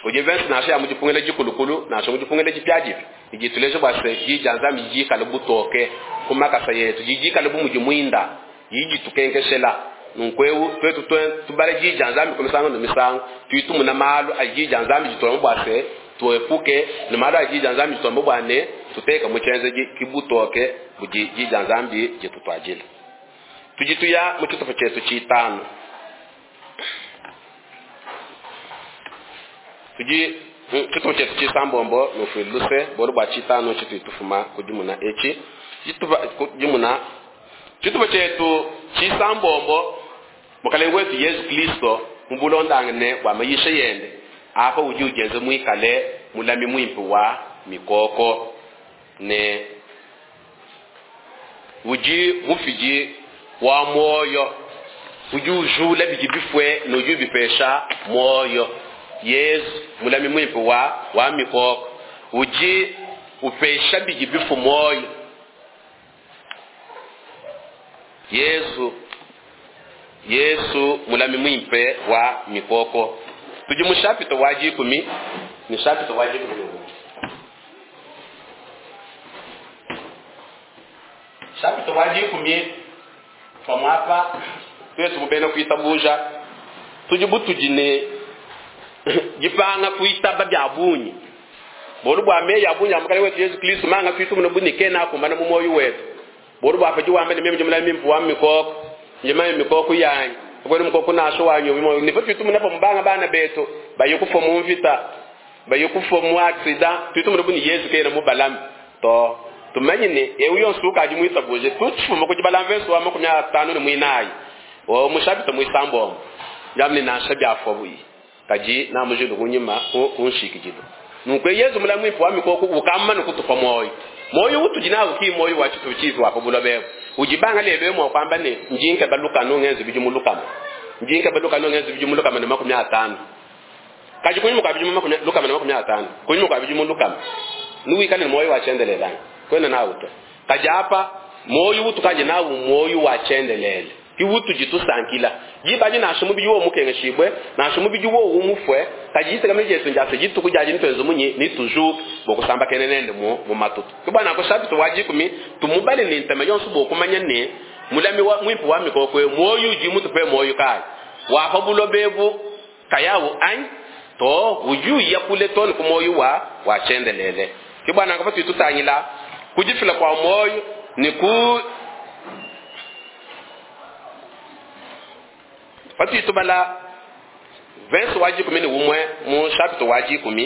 Kudi verse nansha ya mu dipungila dikulukulu, nansha mu dipungila dipiadipia, didi tuleje bua se diyi dia Nzambi didi dikale butoke ku makasa yetu, didi dikale bu mudi muinda, didi ditukenkeshela. Nunku eu tuetu tue-, tubale diyi dia Nzambi ku misangu ne misangu, tudi tumuna malu a diyi dia Nzambi dituamba bua se tuepuke ne malu a diyi dia Nzambi dituamba bua ne tuteka mu tshienzedi ki butoke budi diyi dia Nzambi ditutuadila. Tudi tuya mu tshitupa tshietu tshitanu. Tudi mu tshitupa tshietu tshisambombo nufuile luse bolu bua tshitanu tshitudi tufuma kudimuna etshi. Tshitupa kudimuna tshitupa tshietu tshisambombo mukalenge wetu Yesu Kristo mu bulondangane bua mayisha yende apa udi udienze muikale mulami muimpe wa mikoko ne udi mufidi wa moyo, udi ujula bidi bifue ne udi ubipesha moyo. Yesu mulami muimpe wa, wa mikoko udi upesha bidi bifu moyo. Yesu, Yesu mulami muimpe wa mikoko. Tudi mu chapitre wa dikumi ne chapitre wa dikumi ne umue. Chapitre wa dikumi pamuapa twetu bena kuitabuja tudi butudi ne dipanga kuitaba bia bungi. Bolu bua meyi ya bungi ya mukalenge wetu Yesu Kristo manga tuitu muno buni kena akumbana mu moyo wetu. Bolu bua padi wamba ne meme ndi mulami muimpe wa mikoko, ndi mame mikoko yanyi. Kweli mukoko nasho wanyu bimo ni patu tumuna pa mbanga bana betu baye kufa mu mvita baye kufa mu accident tuitu muno buni Yesu kena mu balami to tumenye ne ewu yonso ukaji muitabuje tutufuma ku dibala mveso wa makumi atanu ne muinayi o mushabita muisambo yamne nasha bya fwa buyi kaji na mujilu kunyima ku kunshikijilo. Nunkwe Yesu mulami muimpe wa mikoko ukamma ne kutupa moyo. Moyo utudi nawu ki moyo wa tshitu tshipi wa pa buloba ebu. Udi banga lelo emu kwamba ne njinke balukano ngenze bidimu lukama. Njinke balukano ngenze bidimu lukama ne makumi atano. Kaji kunyuma kwa bidimu makumi lukama ne makumi atano. Kunyuma kwa bidimu lukama. Nuwikale ne moyo wa chendelelana. Kwena nawu to. Kaji apa moyo utukaje nawu moyo wa chendelele. Kiwutu jitusankila. Jibaji nasho mubiji wo mukengeshibwe, nasho mubiji wo umufwe, kaji kama Yesu njase jitu kujaji nitwenzo munyi ni toujours bokusamba kenene mu mu matutu. Kubana ko chapitre wa jikumi tumubale ni ntema yonso bokumanya ne mulami wa mwimpu wa mikokwe moyo ji mutupe moyo kai. Wa pa bulobebu kayawo an to uju ya kule to ku moyo wa wa chendelele. Kibana ko tutangila kujifila kwa moyo ni ku Pati tubala verse wa jikumi ni umwe mu chapitre wa jikumi.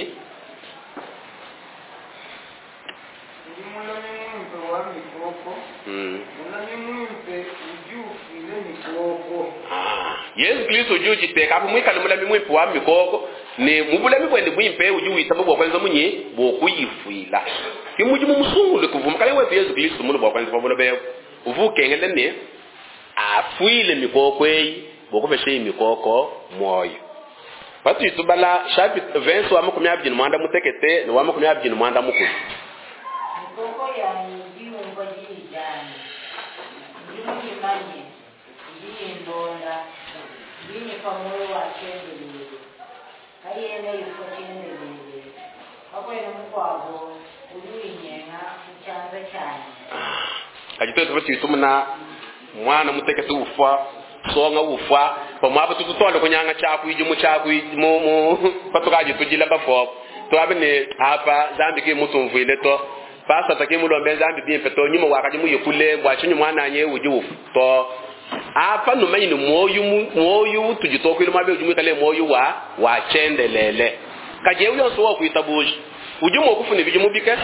Ndi mulami mwimpe wa mikoko. Mm. Mulami mwimpe ujufile mikoko. Ah, Yesu Kristo uju jiteka apo mwikale mulami mwimpe wa mikoko ni mubulami bwende bwimpe uju witaba bwa kwanza munyi bokuyifwila. Kimuji mu musungule kuvuma kale wetu Yesu Kristo mulu bwa kwanza pabulo beyo. Uvukengele ne afwile mikoko eyi bokupesha mikoko moyo. Patu tubala chapitre verse wa makumi abiri mwanda mutekete ni wa makumi abiri mwanda mukulu. Mikoko yanyu ndiyumva jijani. Ndimuyimanye, ndiyindonda, ndinyipa moyo wa chendelele. Kayena ifo chendelele. Kakwena mukwabo uluyinyenga muchanza chanyu. Kajitoto patu tumuna mwana mutekete ufa songa ufa pamwe tututole kunyanga chaku ijumu chaku mu mu patukaji tujila bafo twabe ne apa zambi ke mutumvile to pasa take mulombe zambi bimpe to nyuma wakaji muyikule bwachinyu mwana nye uji ufu to apa numanyi ni moyo moyo tujitokwile mabe uji kale moyo wa wa chendelele kaje uyo so wakuitabuji uji mokufuna bijumu bikese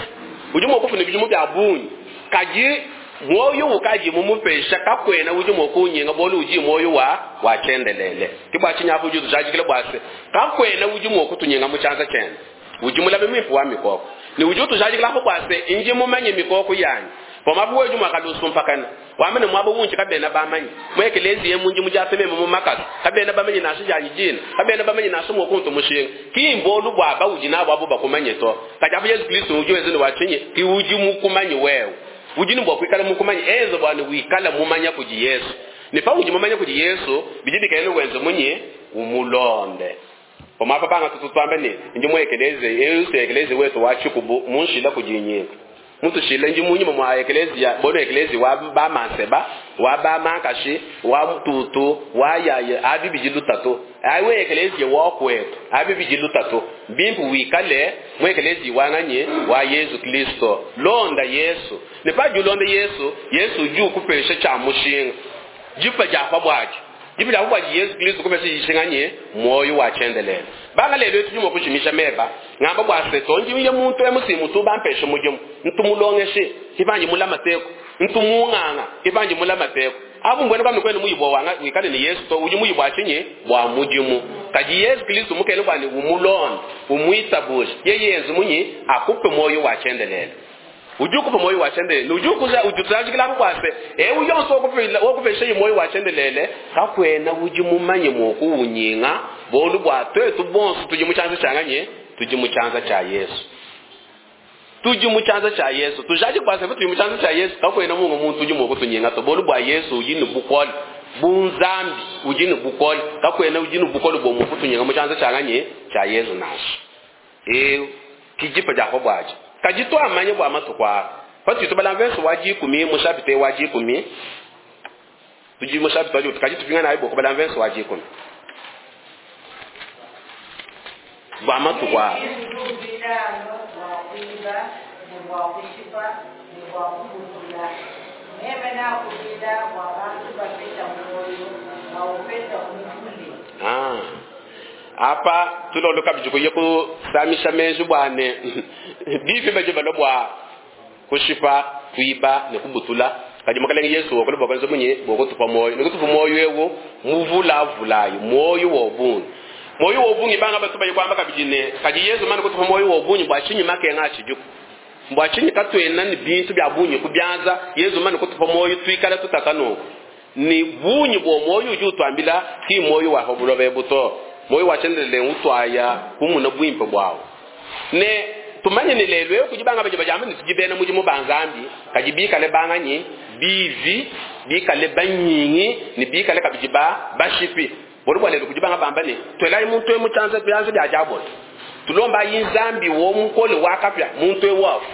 uji mokufuna bijumu bya bunyi kaje moyo ukaji mumupesha kakwena uji mokunyenga bolu uji moyo wa wa chendelele kibwa chinyapo juzu jajikile bwase kakwena uji mokutunyenga muchanza chene uji mulabe mwipu wa mikoko ni uji tujajikile hapo bwase inji mumanye mikoko yanyu pomapu weju mwakalusu mpakana wamene mwabo wunchi kabena bamanyi mwekelezi ye munji mujaseme mu makasa kabena bamenye nasho janyi jina kabena bamenye nasho mokuntu mushinga kimbolu bwaba uji nabo abo bakumanye to kajapo Yesu Kristo uji wezene wachinye ki uji mukumanye wewe ujini bwa kwikala mukumanya ezo bwana wikala mumanya kuji Yesu ni pa uji mumanya kuji Yesu bijidika ile wenzo munye umulonde pomapa banga tututwambe ni ndi mwekeleze Yesu ekeleze wetu wachikubu munshila kujinyika mutu shila ndi munyuma mwa ekelezia bono ekelezi wa ba manseba wa ba makashi wa tutu wa yaye abi bijilutatu aiwe ekelezi wa kwetu abi bijilutatu bimpu wikale mwekelezi wanganye wa Yesu Kristo londa Yesu ne pa julonda Yesu Yesu ju kupesha cha mushinga jipa ja bwaji jipa ja bwaji Yesu Kristo kupesha yishinganye moyo wa chendelele banga lelo tujuma kushimisha meba ngamba bwase tonji ye muntu emusimu tubampesha mujumu ntumulongeshe kibanji mula mateko ntumunganga kibanji mula mateko abu mbwene kwa mikwene muyibwa wanga wikale ni Yesu to uji muyibwa achinye bwa mujimu kaji Yesu Kristo mukene bwani umulonda umwitabuje yeye yenzu munyi akupe moyo wa chendelele ujuku moyo wa chendelele ujuku za ujutajikila kwase e uyonso okupela okupesha moyo wa chendelele kakwena uji mumanye mokuunyinga bolu bwa twetu bonso tuji muchanza changanye tuji muchanza cha Yesu tuji muchanza cha Yesu tujaji kwase tuji muchanza cha Yesu kakwena mungu muntu uji mokutunyenga to bolu bwa Yesu ujini bukole bunzambi ujini bukole kakwena ujini bukole bo mukutunyenga muchanza changanye cha Yesu nasho e kijipa ja bwaje kajitwa amanye bwa matukwa pati tubala verse wa jikumi mushapite wa jikumi tuji mushapite wa jikumi kajitupinga na ibo kubala verse wa jikumi bwa matukwa Ah apa tulondoka bijuko kusamisha menju bwane bifi baje balobwa kushipa kuiba ne kubutula kaji makalenge Yesu okole bwakonzo munye bokutupa moyo nikutupa moyo ewo muvula vulayo moyo wobungi moyo wobungi banga batuba yikwamba kabijine kaji Yesu mana kutupa moyo wobungi bwachinyi makenga achijuko Mbwa tshinyi katuena ne bintu bya bungi ku byanza Yezu mane kutupa moyo twikala tutaka nunku. Ni bungi bwa moyo udi utwambila ki moyo wa buloba buto. Moyo wa tshiendelele utwaya kumuna bwimpe bwawo. Ne tumanye ne lelo eyo kudi banga baje bajamba ne tudi bena mudimu ba Nzambi kadi bikale banganyi bivi bikale banyingi ne bikale kabidi ba bashipi. Bolu bwa lelo kudi banga bamba ne twelayi muntu emu tyanza byanza bya diabolo. Tulomba yi Nzambi wo mukole wakapya muntu ewu afu.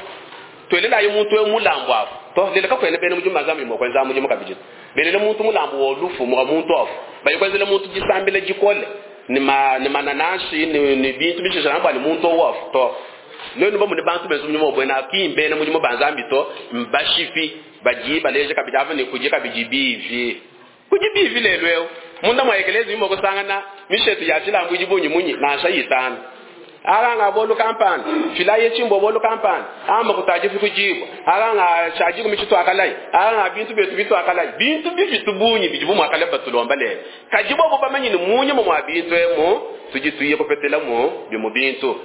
Twelelayi muntu ewu mulambu afu. To lelo kakwena bena mudimu ba Nzambi mo kwenza mudimu kabidi. Belele muntu mulambu wo lufu mo muntu afu. Bayi kwenzele muntu disambile dikole ni ma ni mananashi ni ni bintu bishisha namba ni muntu wafu to. Lelo ba mu ne bantu benzu mudimu bwena kimbe na mudimu ba Nzambi to mbashipi baji baleje kabidi ava ne kuje kabidi bivi. Kuje bivi lelo eo. Munda mwa ekelezi mimo kusangana mishetu ya chilambu jibunyi munyi na shayitana. Alanga bolu kampani filaye chimbo bolu kampani ama kutaji kujibu alanga shaji kumichitu akalai alanga bintu betu bitu akalai bintu bifitu bunyi bijibu mwakale batulomba lelo kajibo bo bamanyi ni munyi mu mwa bintu emo tujituye kopetela mu bimu bintu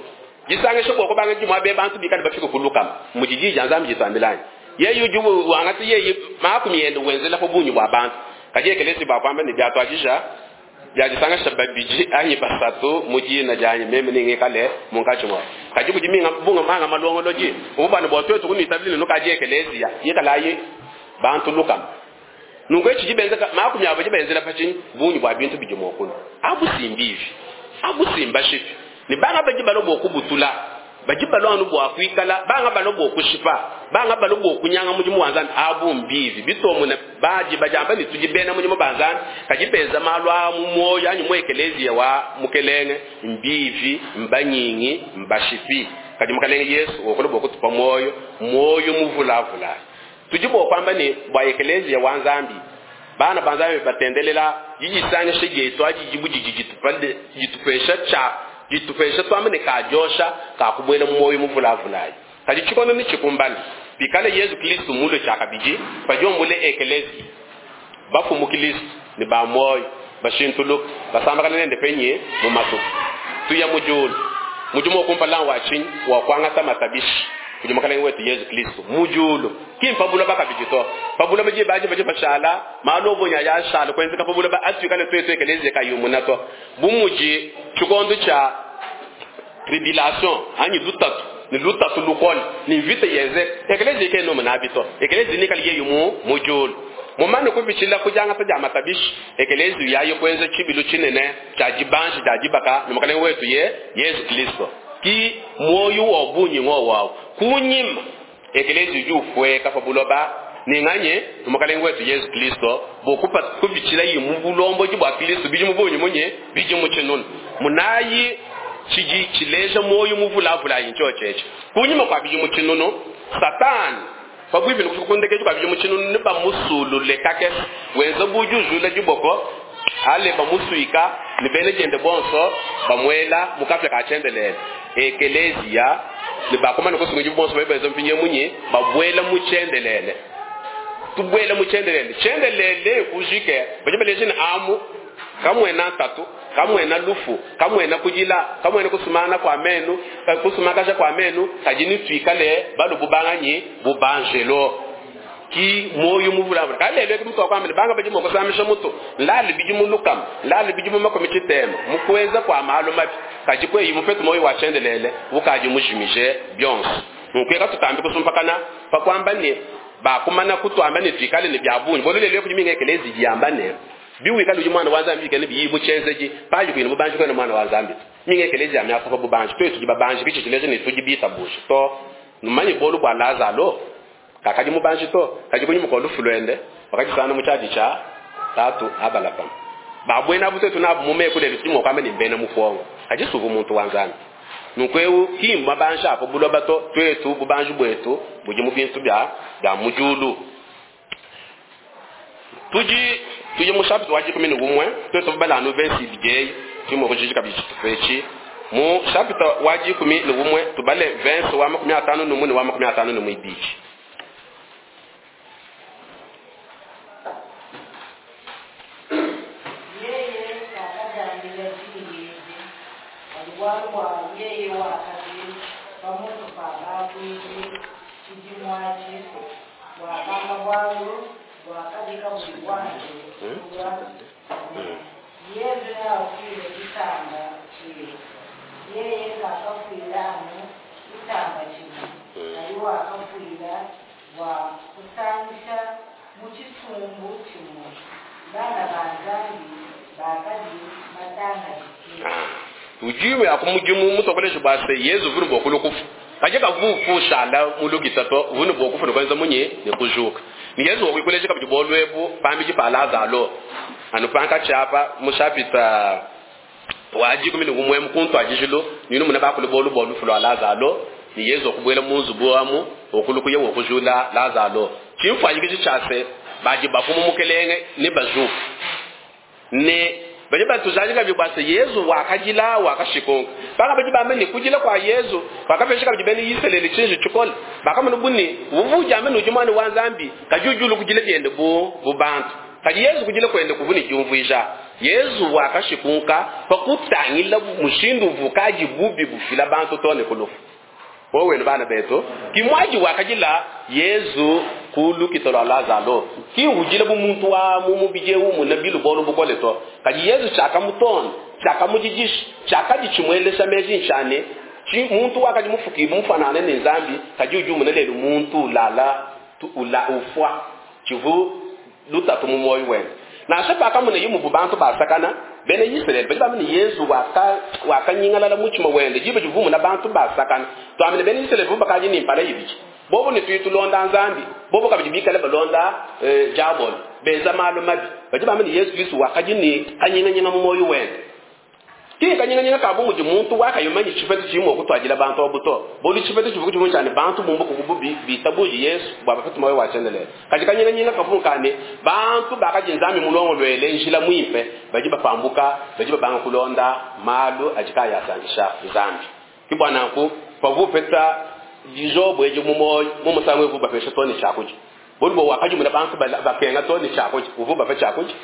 jisange shoko ko banga jimwa be bantu bikali bafika kuluka mujiji janza mjitambelani yeyu jubu wangati yeyi makumi yende wenzela ko bunyi bwa bantu kaje kelesi ba kwamba ni byatwajisha byajisanga shababiji anyi basatu muji na janyi meme ninge kale munkachi mwa kaji kujiminga bunga manga malongoloji ubana bwa twetu kunitabili no kaje kelesi ya yekalayi bantu luka nungo echijibenza makumi abo jibenzela pachi bunyi bwa bintu bijimokulu abusimbivi abusimba shifi ni banga baji balobo kubutula baji balwanu bwa kwikala banga balobo kushipa banga balobo kunyanga mujimu wanzani abu mbivi bitomune baji bajamba ni tujibena mujimu banzani kajibenza malwa mu moyo anyu mwekelezi wa mukelenge mbivi mbanyingi mbashipi kaji mukelenge Yesu okolobo kutupa moyo moyo muvulavula tujibo kwamba ni bwa ekelezi wa Nzambi bana banzambi batendelela yigisanya shigeto ajijibu jijitupande jitupesha cha jitupesha twamene kajosha kakubwela mwoyo muvulavulayi kadi chikono ni chikumbani pikale Yesu Kristo mulo chakabiji pajombule ekelezi bafu mu Kristo ni ba moyo bashintulu basamba kana nende penye mu matuku tuya mujulu mujumo kumpala wa chinyi wa kwanga matabishi kujumakala wetu Yesu Kristo mujulu kimpa bula bakabijito pabula baje baje baje bashala malobo nya ya shala kwenzeka pabula ba atwikale twetu ekelezi kayumunato bumuji chikondo cha tribulation anyi lutatu ni lutatu lukol ni vita yenze ekelezi ke no manabito ekelezi ni kali yumu mujulu mumane kubichila kujanga ta matabishi ekelezi yayo kwenze chibilu chinene cha jibanshi cha jibaka ni makale wetu ye Yesu Kristo ki moyo wa bunyi ngo wawo kunyima ekelezi jufwe kafabuloba ninganye mukalenge wetu Yesu Kristo bokupa kubichila yimubulombo jibwa Kristo biji mubunyi munye biji muchinunu munayi chiji chileja moyo muvulavula yinchocheche kunyima kwa biji muchinunu Satani pabwibi nikukundekeje kwa biji muchinunu niba musulule kake wenza bujuzula jiboko ale bamusuika nibele jende bonso bamwela mukafya kachendelele ekelezia nibakoma nikusunga jibonso bayibenza mpinye munye babwela muchendelele tubwela muchendelele chendelele kujike bajibeleje ni amu kamwena tatu kamwena lufu kamwena kujila kamwena kusumana kwa menu kusumakasha kwa menu kajini twikale balubu banganyi bubanjelo ki moyo muvulavula kalelo ki mtu akwambe banga baji moko samisha mutu lali biji mulukam lali biji mumako michitema mukweza kwa malo mabi kaji kwe mufetu moyo wachendelele ukaji mujimije byonse nkweka tutambi kusumpakana pakwamba ne bakumana kutwamba ne twikale ne byabunyi bololele kujiminga ekelezi jiyambane biwikale uji mwana wa Nzambi kene biyibu chenzeji paji kwini bubanji kwene mwana wa Nzambi minga ekelezi amyasa pa bubanji twetu jibabanji kichichileje ne tujibita bushi to numanyi bolu bwa Lazaro kakaji mubanji to kaji kunyi mukolu fulwende wakati sana muchaji cha tatu abalapa babwena butetu nabo mume kule bitimo kwamba ni mbena mufongo kaji suvu muntu wa Nzambi nukweu kimba banja apo buloba to twetu bubanji bwetu buji mubintu bya bya mujulu tuji tuji mushapi waji kumi n'umwe twetu bala no verse bigey timo kujiji kabiji tufechi mu chapter waji kumi n'umwe tubale verse wa makumi atano n'umwe wa makumi atano n'umwe bichi Yeye akajambila jiyeze walibwalwa yeye wakati pamoto pa bakwiji Tshidimu atshi, wakamba bualu buakadi kabuyi buanze kulua ne, Yezu neafuile tshisamba tshiebe. Yeye kakafuila anu tshisamba tshimue, kadi wakafuila bua kusangisha mu tshisumbu tshimue bana ba Nzambi bakadi batangadike. Ujime akumujimu mutokolesha bwase Yezu vunu bokulu kufu kaje kavufu shala mulukita to vunu bokufu ne munye ne kujuka ni Yezu wakuikolesha kabidi bolwebu pambiji pa Lazaro anu panka chapa mushapita waji kumi ne umwe mukuntu ajijilo ninu muna bakulu bolu bolu fulo Lazaro ni Yezu okubwela munzu bwamu okulukuye wokujula Lazaro chimfanyikiji chase baji bafumu mukelenge ni bajuka ne baje batuzalika bibwase Yezu wakajila wakashikonka baka baje bamene kujila kwa Yezu bakapesha kabidi bene Israeli chinji chikola bakamana buni uvuja amene ujimwana wa Nzambi kajujulu kujila byende bu bubantu kadi Yezu kujila kwende kuvuni jumvuija Yezu wakashikunka pakutangila mushindu vukaji bubi bufila bantu tone kulufu wowe bana beto kimwaji wakajila Yezu kulu kitolo Lazaro ki ujile bu muntu wa mu mubije umu na bilu bolu bukole to kadi Yezu chaka muton chaka mujijish chaka dichimwelesha meji nchane chi muntu wakaji mufuki mufanane ne Nzambi kadi ujumu ne lelu muntu lala tu ula ufwa chivu lutatu mu moyo wena na shapa kamune yimu bubantu basakana bene Israel bali bamene Yezu waka wakanyingalala muchima wende jibe jivumu na bantu basakana twamene bene Israel vuba kaji ni mpala yibiki bobo ni tuyitulonda Nzambi bobo kabidi bikale balonda eh, jabol beza malu mabi baji bamene Yesu Kristo wakaji ni kanyinganyinga mu moyo wende ki kanyinganyinga kabu muji muntu wakayomanyi chifetu chimwe kutwajila bantu obuto boli chifetu chivuku chimwe cyane bantu mumbu kububi bitabuji Yesu baba fetu moyo wachendelele kaji kanyinganyinga kavunkane bantu bakaji Nzambi mulongo lwele njila mwimpe baji bapambuka baji babanga kulonda malu ajikaya asangisha Nzambi kibwana ku pavupeta dijobo ejo mumoyo mumusangwe vuba pesha toni chakuji boli bo wakaji muna bantu bakenga toni chakuji uvuba pe chakuji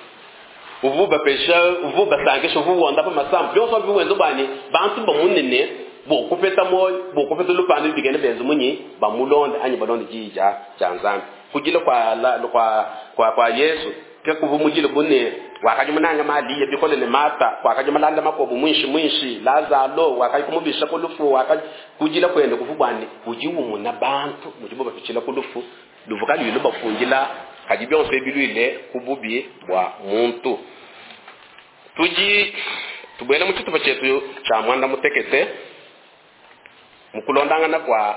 uvuba pesha uvuba sangesha uvuwonda pa masambu byonso biwenzo bani bantu bamunene bokupeta moyo bokupeta lupande bigene benzo munyi bamulonda anyi balonda jija ja Nzambi kujila kwa la, kwa kwa kwa Yesu ke kuvumujile bune wakaji munanga mali bikole ne mata wakaji malanda makobu mwinshi mwinshi Lazaro wakaji kumubisha kulufu wakaji kujila kwende kuvubwane ujiwu muna bantu mujibo bapichila kulufu luvukali yulo bafungila kaji byonse bilwile kububi bwa muntu tuji tubwele mu chitupa chetu cha mwanda mutekete mukulondangana kwa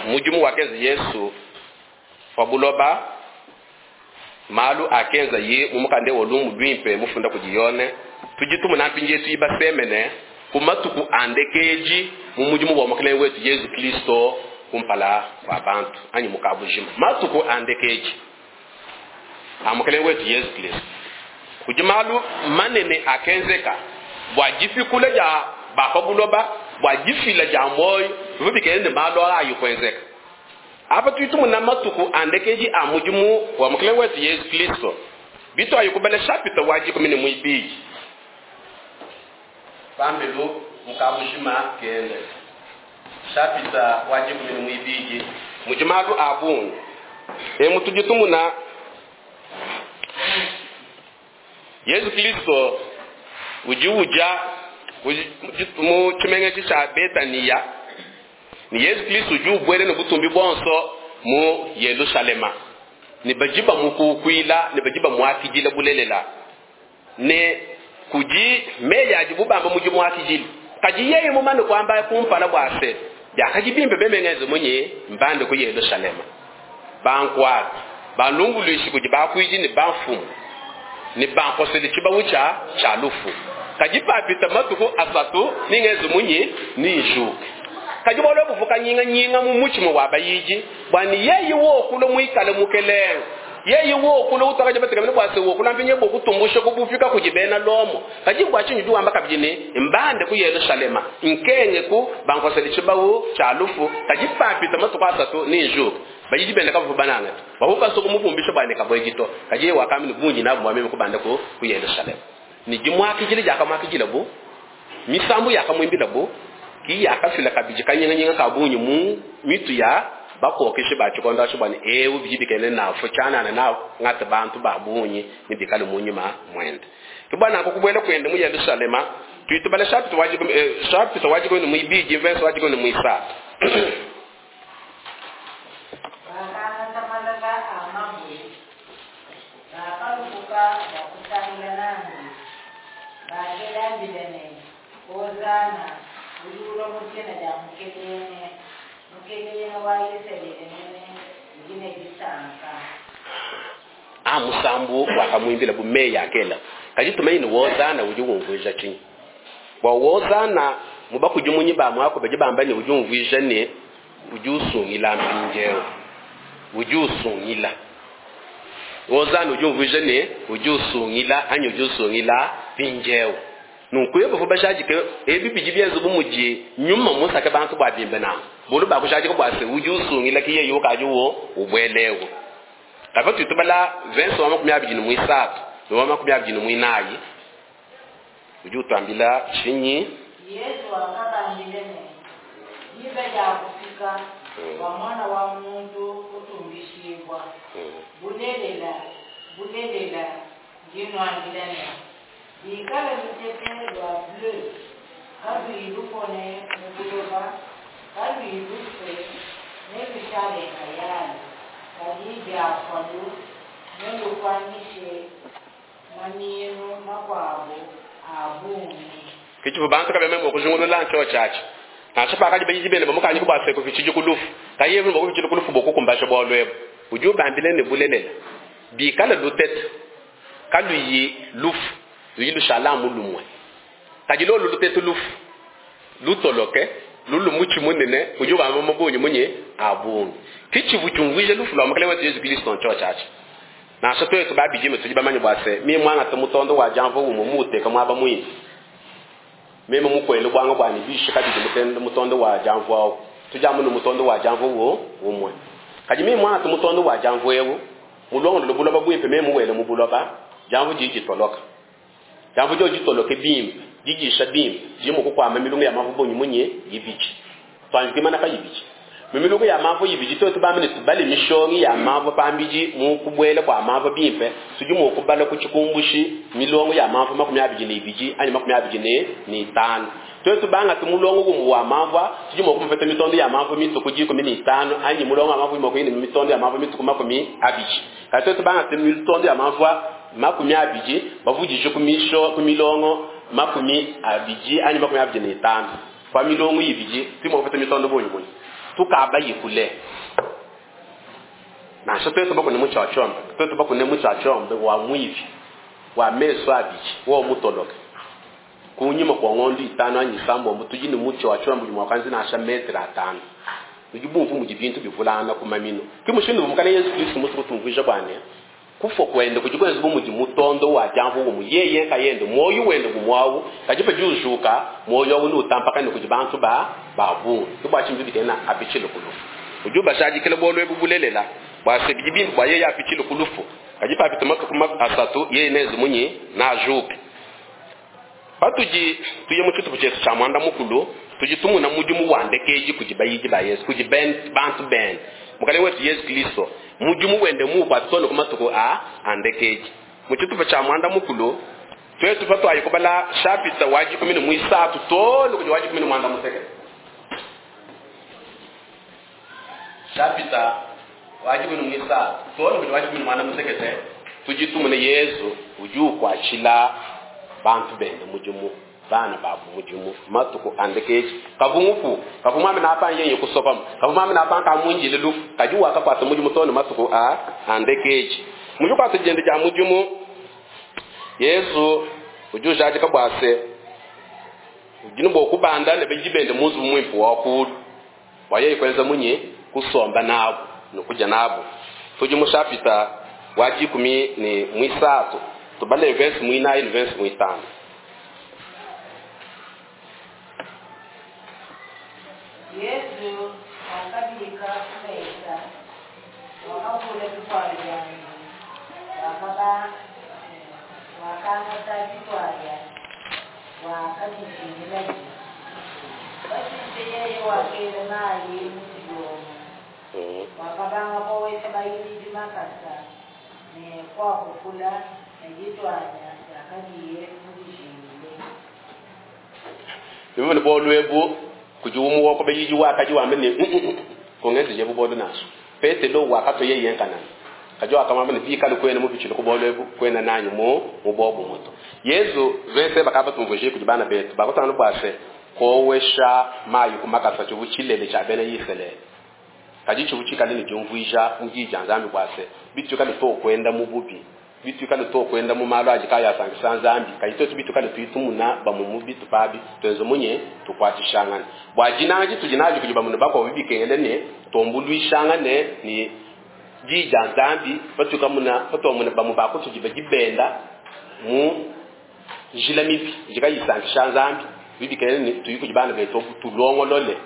mujimu wakezi Yesu fabuloba malu akenza ye mumukande wolumu lwimpe mufunda kujiyone tujitumu nampinje Yesu ibasemene kumatuku andekeji mu mujimu wa mukelenge wetu Yesu Kristo kumpala kwa bantu anyi mukabujima matuku andekeji amukelenge wetu Yesu Kristo kujimalu manene akenzeka bwa jifikula ja bafabuloba bwa jifila ja moyo vubikende malu ayo kwenzeka apa tuitumu na matuku andekeji amujimu wa mukelenge wetu Yesu Kristo bitu ayukubale chapter waji kumi ne mwibiji pambelu mukabujima kende chapter waji kumi ne mwibiji mujimalu abungu e mutujitumuna Yesu Kristo ujiuja mu chimengechi cha Betania ni Yesu Kristo ujubwere ne butumbi bonso mu Yerusalema ni bajiba mukukwila ni bajiba mwakijila bulelela ne kuji meya jibubamba muji mwakijili kaji yeye mumane kwamba kumpala bwase yakajibimbe bemengezo munye mbande ku Yerusalema bankwa balungulushi kuji bakwiji ni bafumu ni bankosele chibawucha cha lufu kajipapita matuku asatu ningezo munye ni njuke kajibolo buvuka nyinga nyinga mu muchimo wabayiji bwani yeye wokulo mwikale mukelenge yeye wokulo utakaje batekamene bwase wokula mpinye bokutumbusha kubufika kujibena lomo kajibwa chinyu duwamba kabijine mbande ku Yerusalema nkenge ku bankosele chibawu cha lufu kajipapita matuku asatu ni njuke bayiji bende kavu bananga bahuka soko muvumbisha bane kabwejito kaje wakamini bunji nabo mwameme kubanda ku ku Yerusalema ni jimwakijile jakamwakijile bu misambu yakamwimbila bu Ki yakafila kabidi kanyinganyinga ka bungi mu mitu ya bakokeshe ba tshikondo atshi bua ne eu bidi bikene nafu tshianana na ngata bantu ba bungi ne bikale mu nyuma mwende. Ke bua nanku kubuela kuende mu Yerusalema tuitubala chapitre wa dikumi eh, chapitre wa dikumi ne muibidi verse wa dikumi ne muisatu. Bakangata malala a mabue bakalupuka bua kusangila nandi bakela mbila ne hosana udi ulua mu dina dia Mukelenge, Mukelenge wa Isalele mene udi ne disanka. A musambu wakamuimbila bu meyi akela kadi tumanye ne wozana udi umvuija tshinyi bua wozana mu bakudimunyi ba muaku badi bamba ne udi umvuija ne udi usungila mpindieu udi usungila wozana udi umvuija ne udi usungila anyi udi usungila mpindieu nunku ye bavua bajadike ebi bidi bienza bu mudi nyuma musake bantu bua bimbe nanku bulu bakujadika bua se udi usungila ki yeye ukadi wo ubuelewu kava tutubala verse wa makumi abidi ne muisatu ne wa makumi abidi ne muinayi udi utuambila tshinyi? Yesu wakabambila ne diba diakufika bua mwana wa muntu kutumbishibua. Bulelela bulelela ndi nnuambila ne bikala lutete lua blé kaluyi lupone mu buloba kaluyi lufue nelushale nkayalu, kadi biafualu nelukuanyishe maminu makuabu a bungi. Ke tshivua bantu kabema mua kujingulula ntshio tshiatshi nansha pakadi bayidi bende bamukanyika bua se kupitshidi ku lufu kayi ebu bua kupitshila ku lufu bua kukumbasha bualu ebu udi ubambila ne bulelela bikala lutete kaluyi lufu ludi lushala mu lumue kadi lolu lutete lufu lutoloke lulu mutshi munene udi ubamba mabunyi munye a bungi ke tshivu tshiumvuija lufu lua mukelenge wetu Yesu Kristo ntshio tshiatshi nansha twetu babidime tudi bamanye bua se mie muangata mutondo wa diamva umue muuteka muaba muimpe meme mukwele bwanga bwani bishe kabidi mutende mutondo wa diamva awu tudi amu ne mutondo wa diamva wo umue kadi mie muangata mutondo wa diamva ewu mulongolole buloba buimpe meme muwele mu buloba diamva didi ditoloka diamva dio ditoloke bimpe didisha bimpe didi mua kukuama milungu ya mavu bungi munye ibidi twanji kuimana pa ibidi mu milungu ya mavu ibidi twetu bamane tubale mishongi ya mavu pambidi mu kubuela kua mavu bimpe tudi mua kubala ku tshikumbushi milongo ya mavu makumi abidi ne ibidi anyi makumi abidi ne ne itanu twetu bangata mulongo umue wa mavu tudi mua kumupeta mitondo ya mavu mituku dikumi ne itanu anyi mulongo wa mavu mua kuyina mitondo ya mavu mituku makumi abidi kadi twetu bangata mitondo ya mavu makumi abidi bavudije ku misho ku milongo makumi abidi anyi makumi abidi ne itanu pa milongo ibidi tudi mua kupeta mitondo bungi bungi tukaba yikule nansha twetu bakune mutshiatshombe twetu bakune mutshiatshombe wa mwivi wa meso abidi wo mutoloke kunyima kwa ng'ondo itanu anyi isambombo tudi ne mutshiatshombe udi mua kuanza nansha metre atanu udi bumvu mudi bintu bivulangana ku maminu ke mushindu mukale Yesu Kristo musu kutumvuija bua ne kufua kuende kudi kuenza bu mudi mutondo wa diamvu umu yeye kayende muoyo wende gumwawu kadi padi ujuka muoyo awu nutampakane kudi bantu ba ba bungi ke bua tshintu bikena apitshile ku lufu udi ubashadikila bualu ebu bulelela bua se bidi bimpe bua yeye apitshile ku lufu kadi papita matuku asatu yeye nenze munyi najuke patudi tuye mu tshitupa tshietu tshia muanda mukulu tudi tumuna mudimu wa ndekeji kudi bayidi ba Yesu kudi bantu bende mukalenge wetu Yesu Kristo mudimu wende muukwata ku matuku a andekeji mu tshitupa tshia muanda mukulu twetu patwayi kubala chapitre wa dikumi ne muisatu too kudi wa dikumi ne muanda mutekete chapitre wa dikumi ne muisatu too kudi wa dikumi ne muanda mutekete tudi tumune Yesu udi ukwatshila bantu bende mudimu bana babu mudimu matuku andekeji kavungupu kavumwami napa yenye kusopama kavumwami napa kamunjile lufu kadi wakakwata mudimu tone matuku a andekeji mujukwata jende ja mudimu Yesu udi ujadika bua se udi ne bua kubanda ne bayidi bende mu nzubu muimpe wa kulu bua yeye kuenza munyi kusomba nabu ne kudia nabu tudi mu chapita wa dikumi ne muisatu tubale verse muinayi ne verse muitanu. Yesu akabika ku mesa wakavula bitwalo byange wakaba wakangata bitwalya wakabijingila. Wakela mayi mu dilongo Mm. wakabanga kowesha bayidi makasa ne kwakupula ne ditwanya yakadiye mudijingile. Bimene bolwebu kudi umu wako bayiji wakaji wambe ne kongezi jebu bodo naso petelo wakato yeye nkanana kajo akamamba ne bikale kwene mu bichilo kubolwebu kwena nanyu mu mu bobu muto. Yesu vese bakaba tumvuje kudi bana betu bakotana bwase kowesha mayi kumakasa chubu chilele cha bene yiselele kaji chubu chikale ni jumvuija mujija nzambi bwase bitu kale to kwenda mu bubi bitu kale to kwenda mu malo aji kaya sangisa nzambi kayito bitu kale tuitumuna bamu mu bitu pabi twenzo munye tukwatishangana bwajinanji tujinaji kujiba muno bako bibikengele ne tombulwishangane ni jija nzambi patuka muna patomuna bamu bako tujiba jibenda mu njila mibi jikayisangisha nzambi bibikengele ne tuyikujibana beto tulongolole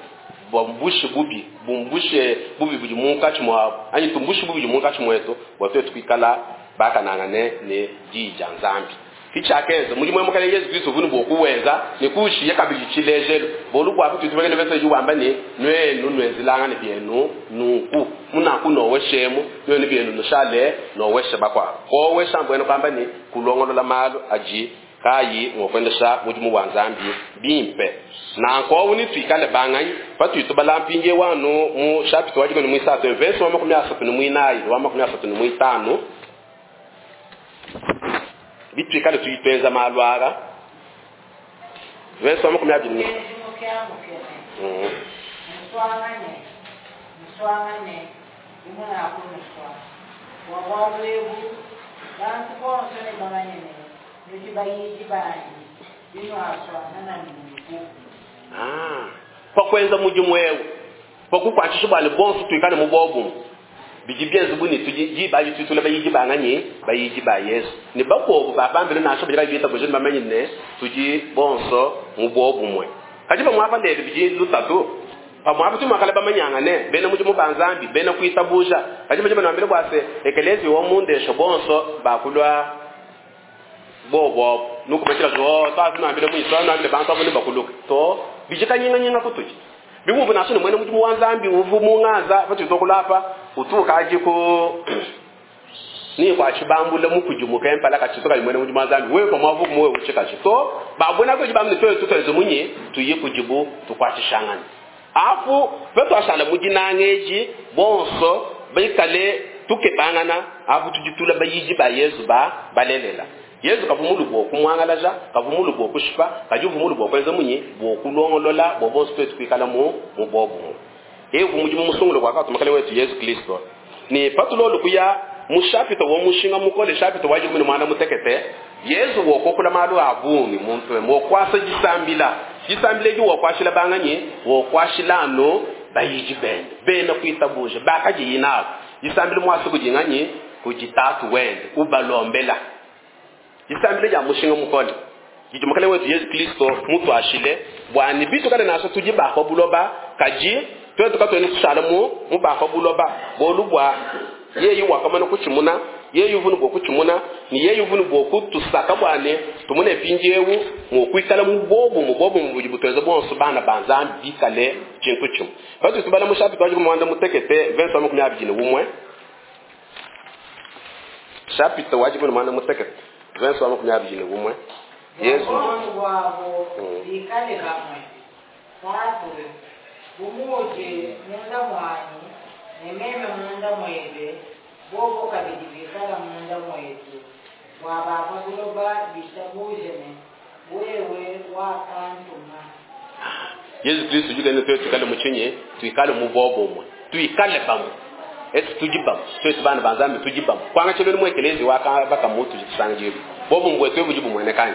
bwambushe bubi bumbushe bubi budi munkatshi mwabo anyi tumbushe bubi budi munkatshi mwetu bwa twetu kwikala bakanangane ne jija nzambi kichakenza muri mwe mukale Yesu Kristo vunu bokuwenza nikushiye kabili chilejelo bolu bwa kutu tubekele bese yuwamba ne nwenu nwenzilanga ne byenu nuku munaku noweshemu nwenu byenu nushale noweshe bakwa kowesha mbwenu kwamba ni kulongolola malo aji kayi ngokwendesha mudimu wa nzambi bimpe nanko uni twikale banganyi patwitubala mpinje wanu mu chapter wajiko ni mwisatu verse wa makumi asatu ni mwinayi wa makumi asatu ni mwitano bitwikale tuyitwenza malwara verse wa makumi abiri ni Mukenzi mukyamukene Mm. muswangane muswangane imunakunuswa wabwalwebu bantu bonso ne bamanyene nudi bayidi banyi binwaswana na nunku. Ah, pakwenza mudimu ewu pakukwathisha bwale bonso twikale mu bobumu bidi byenza buni tudi bayi tutula bayidi banganyi bayidi ba Yesu ni bakobo bapambele nasho bidi bayita bujeni bamenye ne tudi bonso mu bobumwe kaji bamwapa lelo bidi lutatu pamwapa tumakale bamanyanga ne bene mudimu banzambi bene kuitabuja kaji bajima nambele bwase ekelezi wa mundesho bonso bakulwa bobo nukumachila zo to nambele muiso nambele bantu abone bakuluka to bijikanyinga nyinga kutuji bibubu naso ni mwene mudimu wa nzambi uvu mungaza patitokulapa utuka aji ku ni kwa chibambule mukujimuka empala kachitoka mwene mudimu wa nzambi wewe kwa mwavu mwe uchika chito babona ko jibamne twetu tutwezo munye tuye kujibu tukwatishangana afu petu ashala mujinangeji bonso baikale tukebangana afu tujitula bayiji ba Yesu ba balelela Yesu kavumulu bwo kumwangalaja kavumulu bwo kushipa kajuvumulu bwo kwenza munye bwo kulongolola bwo bonso twetu kwikala mu mu bobu evu mujimu musungulo kwa katumakale wetu Yesu Kristo ni patulolu kuya mushapito wo mushinga mukole shapito waje kumene mwana mutekete Yesu wokokula malu abungi muntu wokwasa jisambila jisambile ji wokwashila banganye wokwashilano bayiji bende bena kuitabuje bakaji yinabo jisambile mwasi kujinganye kujitatu wende ubalombela jisambile ja mushinga mukole jijumakale wetu Yesu Kristo mutu ashile bwani bitu kale naso tujibakho buloba kaji twetu katweni tushala mu mubakho buloba bolubwa yeyi wakamana kuchimuna yeyi uvunu bwokuchimuna ni yeyi uvunu bwokutusaka bwane tumune pinjewu mwokwikala mubobu mubobu mubuji butweza bonso bana banzambi bikale chintu chimwe patu tubala mushapi twaje kumwanda mutekete verse wa makumi abiri umwe chapter waje kumwanda mutekete verse wa makumi abiri umwe Yesu Wabongo bwabo Mm. bikale bamwe tatu bumuje munda mwanyi ne meme munda mwebe bobo kabidi bikala munda mwetu bwabapa buloba bitabujene wewe wakantuma. Yesu Kristo jugene twetu tukale muchinye tuikale mubobo umwe tuikale bamwe esi tujibamu twetu bana banzambi tujibamu kwanga chelo ni mwekelezi waka baka mutu jisangiru bobo mbwe twebu jibu mwenekanye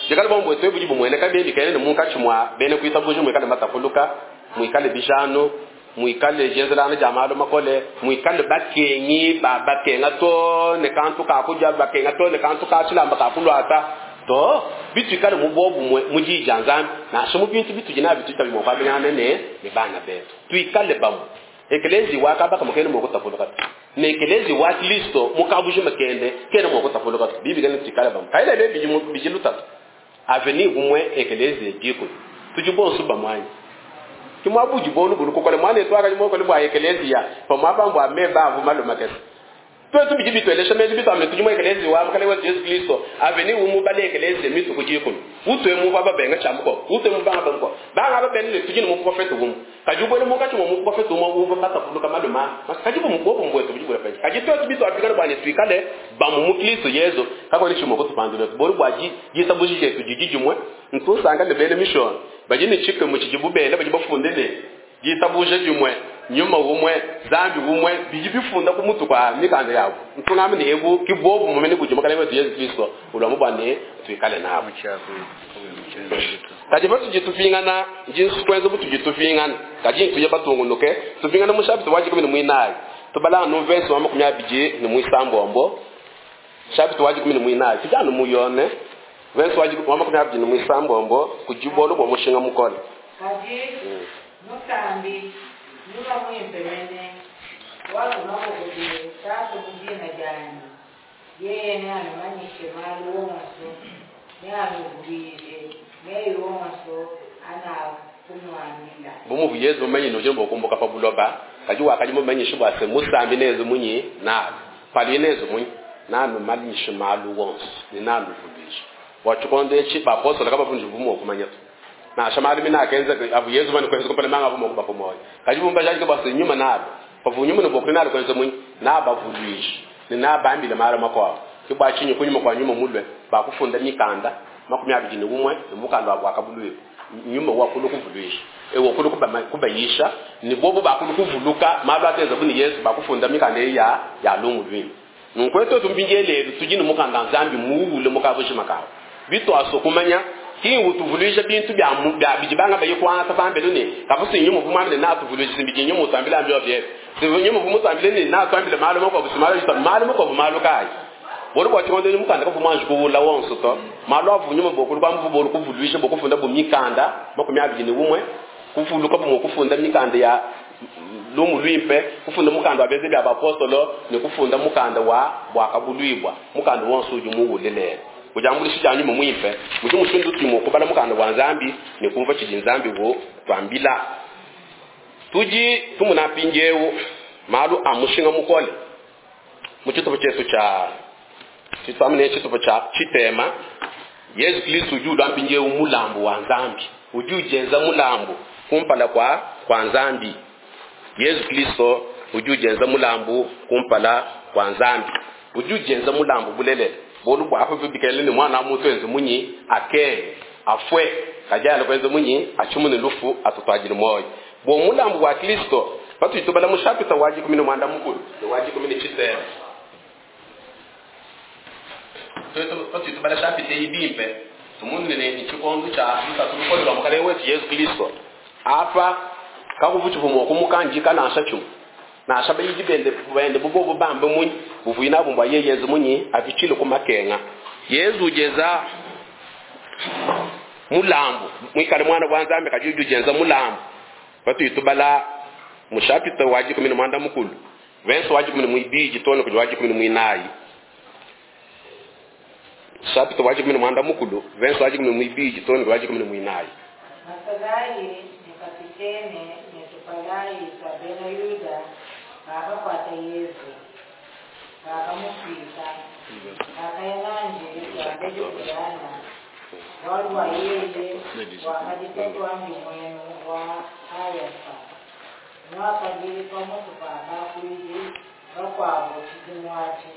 jikale bobo mbwe twebu jibu mweneka bebi kaene munkachi mwa bene kuitabuju mwikale matafuluka mwikale bijano mwikale jenzelana jamalo makole mwikale bakenyi ba bakenga to ne kantu kakuja bakenga to ne kantu kachilamba kakulwata to bitu ikale mubobu mwe mujija nzambi nasho mu bintu bitu jina bitu tabi mwakwamenyana ne ne bana betu tuikale bamwe ekelezi wakabaka mukene mwokutafuluka ne ekelezi wa Kristo mukabuje makende kene mwokutafuluka bibi kene tuikale bamwe kaile le biji biji lutatu aveni gumwe ekelezi ejiko tujibonso bamwanyi Kimwa budi bolu bulu kukole mwana etu akali mokole bwa ekelezia pamwapa mbwa meba avu maluma kese. Twetu bidi bitwelesha meji bitwamne tudi mu ekelezia wa mukale wetu Yesu Kristo aveni umu bale ekelezia mitu kujikulu. Utwe mu baba benga chamuko, utwe mu banga banko. Banga ba benile tudi ni mu profeta umu. Kaji ubwele mu kachi mu profeta umu uva bata kuluka maluma. Kaji bu mukopo mbwetu bidi bula penye. Kaji twetu bitu afikana bwa netwikale bamu mu Kristo Yesu. Kako ni chimo kutupandule. Boru bwa ji jisabuji chetu jijijumwe. Ntusanga ne bele mission. Baji ni chike mu chijibu bele baji bafunde ne jitabuje jumwe nyuma umwe zambi umwe biji bifunda ku mutu kwa mikanda yabo ntungamene ebu kibobu mumene kujima kale wetu Yesu Kristo ulamu bwane twikale nabo kaji batu jitufingana jinsu kwenza butu jitufingana kaji ntuye batungunuke tufingana mushabiti waji kumi mwinayi tubala no verse wa makumi abiji ni mwisambombo shabiti waji kumi mwinayi tujana muyone verse waji wa makumi abiji ni mwisambombo kujibolo bwa mushinga mukole Kaji musambi nyuma mwimpe mene wakumabokobile tatu mujina jani yeye neanumanyishe malu wonso neanuvulile meyi wonso anakumwamila bumuvu Yesu mumenyi noje mbokumbuka pa buloba kaji wakaji mumanyishe bwase musambi nezo munyi nabe pali nezo munyi nanu manyishe malu wonso ni nanu vulishe wachikonde chi baposola kabafunji vumo kumanya na shamali mina akenza abu Yesu mani kwenza kupale manga vumo kuba pomoyo kaji bumba jaji bwase nyuma nabe pavu nyuma no bokuna nalo kwenza munyi nabavulishe ni nabambile mara makwabo kibwachinyi kunyuma kwa nyuma mulwe bakufunda mikanda makumi abiri ni umwe ni mukanda wa bwakabulwe nyuma wakulu kuvulwisha ewo kulu kuba kubayisha ni bobo bakulu kuvuluka malu ateza buni Yesu bakufunda mikanda ya ya lungu lwini nunkweto tumbingelelo tujini mukanda nzambi muwule mukabushi makawo bitu asokumanya kingu tuvulisha bintu bya bya bijibanga bayi kwanza pambele ni kafusi nyuma vumamile na tuvulisha simbiji nyuma utambila ambyo bye sinyuma vumutambile ni na twambile malo mako busimalo malo mako malo kai bolo kwa chikondo ni mukanda kavuma njukuwula wonso to malo avunyuma bokulu kwa mvu bolo kuvulwisha bokufunda bumikanda makumi abiri ni umwe kuvuluka bumo kufunda mikanda ya lumu lwimpe kufunda mukanda wa beze bya bapostolo ni kufunda mukanda wa bwakabulwibwa mukanda wonso uju muwulelele kujambulisha janyu mwimpe muju musundu timo kubala mukanda wa nzambi ni kumva chiji nzambi wo twambila tuji tumuna pinjewu malu amushinga mukole muchitupo chetu cha chitwamene chitupo cha chitema Yesu Kristo uju lwampinjewu mulambo wa nzambi uju jenza mulambo kumpala kwa kwa nzambi Yesu Kristo uju jenza mulambo kumpala kwa nzambi uju jenza mulambo bulelele bolu bwa afa bikele ni mwana mutu enze munyi ake afwe kajala kwenze munyi achumune lufu atutwajile moyo bo mulambo wa Kristo patu itobala mushapita waji kumi na mwanda mukulu ni waji kumi ni chisema patu itobala shapita ibimpe tumunene ni chikondo cha mutatu lwa mukale wetu Yesu Kristo apa kakuvuchivumo kumukanjika nasha chumu nasha bayiji bende bende bubobo bambe munyi buvuyina bumbwa yeyeze munyi avichile kumakenga Yesu ujeza mulambo mwikale mwana wa nzambi kajuju jenza mulambo patu itubala mushapita waji kumi na mwanda mukulu venso waji kumi na mwibiji tone kuji waji kumi na mwinayi shapita waji kumi na mwanda mukulu venso waji kumi na mwibiji tone kuji waji kumi na mwinayi masalayi ni kapitene ne tupalayi twa bena yuda bakakwata Yesu bakamufika bakayananje twambejekuyana walwa yeye wakajitatu ambi mwenu wa Kayafa mwakajili pamutu pa bakwili bakwabo chidimwachi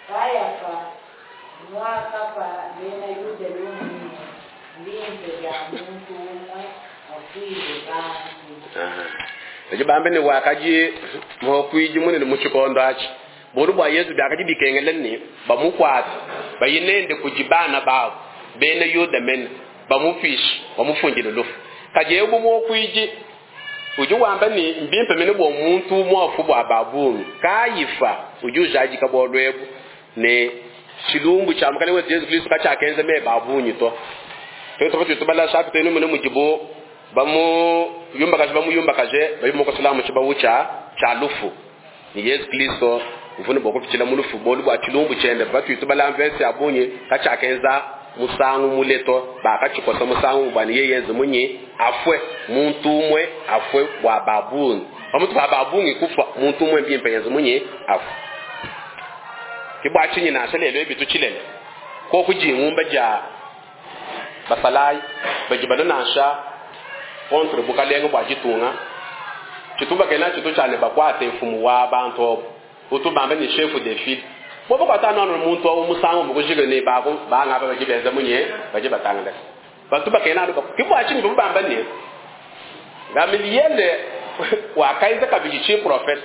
Kayafa mwakapa bena Yuda lumwine mbimpe bya muntu umwe akwile bantu ejo bambe ni wakaji mokwiji munene muchikondo achi bolu bwa Yesu byakaji bikengele ni bamukwata bayinende kujibana babo bene Yuda mene bamufishi bamufungile lufu kaje ebu mokwiji uju wamba ni mbimpe mene bwo muntu mwafu bwa babunu kayifa uju jaji kabolwebu ne chilumbu cha mukale wetu Yesu Kristo kachakenze me babunyi to tweto tweto bala shapi tenu mene mujibu bamu yumba kaje bamu yumba kaje bayimu ko salamu chibawu cha cha lufu ni Yesu Kristo uvune boko pichila mulufu bolu bwa chilumbu chende batu itubala mvese abunye kachakenza musangu muleto bakachikosa musangu bwani yeyenze munyi afwe muntu umwe afwe bwa babungi pamutu pa babungi kufa muntu umwe mbimpe yenze munye afwe kibwa chinyi na lelo ebitu chilele ko kujingumba ja basalai bajibana nansha contre bukalenga bwa jitunga chituba kena chitu chane bakwate mfumu wa bantu utubambe ni chef de file bobo kwatana no muntu wa musango mukujike ne bako banga ba bajibenza munye baje batanga batuba kena ndo kibwa chinyi bubamba ne Gamaliele wakaiza kabiji chi prophet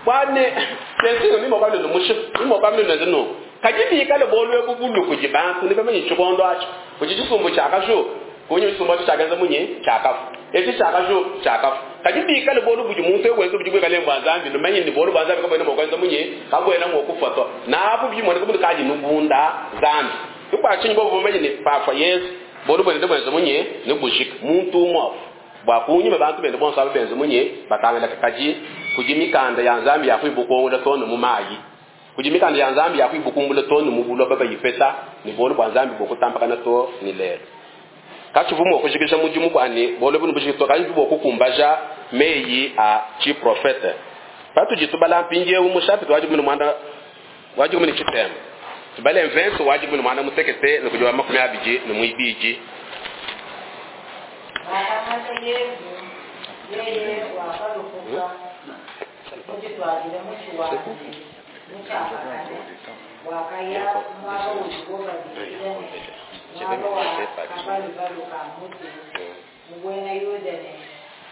bwane sensi ni mo kablo mushi ni mo kablo no kajibi kale bolwe bubulu kujibantu ni bamenye chikondo acho kujichisumbu chakashu kunye chisumbu chakaza munye chakafu echi chakashu chakafu kajibi kale bolu buji muntu wenzo buji kale mbwa zambi no menye ni bolu bwa zambi kabwena mo kwanza munye kabwena mo kufoto na apo buji mwana kumuntu kaji nubunda zambi kubwa chinyi bobo menye ni pafa Yesu bolu bwende bwenzo munye ni bushika muntu mwafu bwakunyi babantu bende bonso abenze munye batangela kakaji kujimikanda ya nzambi yakwibukumbula tono mumayi kujimikanda ya nzambi yakwibukumbula tono mubulo baba yipesa ni bolo bwa nzambi bokutampakana to ni lelo kachivumo kushikisha mujimu kwani bolo bunu bushikito kaji bokukumbaja meyi a chi profete patu jitubala mpinje umushapi wajibu mwanda wajibu ni chitema tubale mvenso wajibu mwanda mutekete nikujwa makumi abiji ni mwibiji Bakamata Yesu yeye wakalukuka mujitwalile muchiwandi muchakakane wakaya mwaka ujigobabilene mwaka wa kabalubalu ka mutu mubwena Yuda ne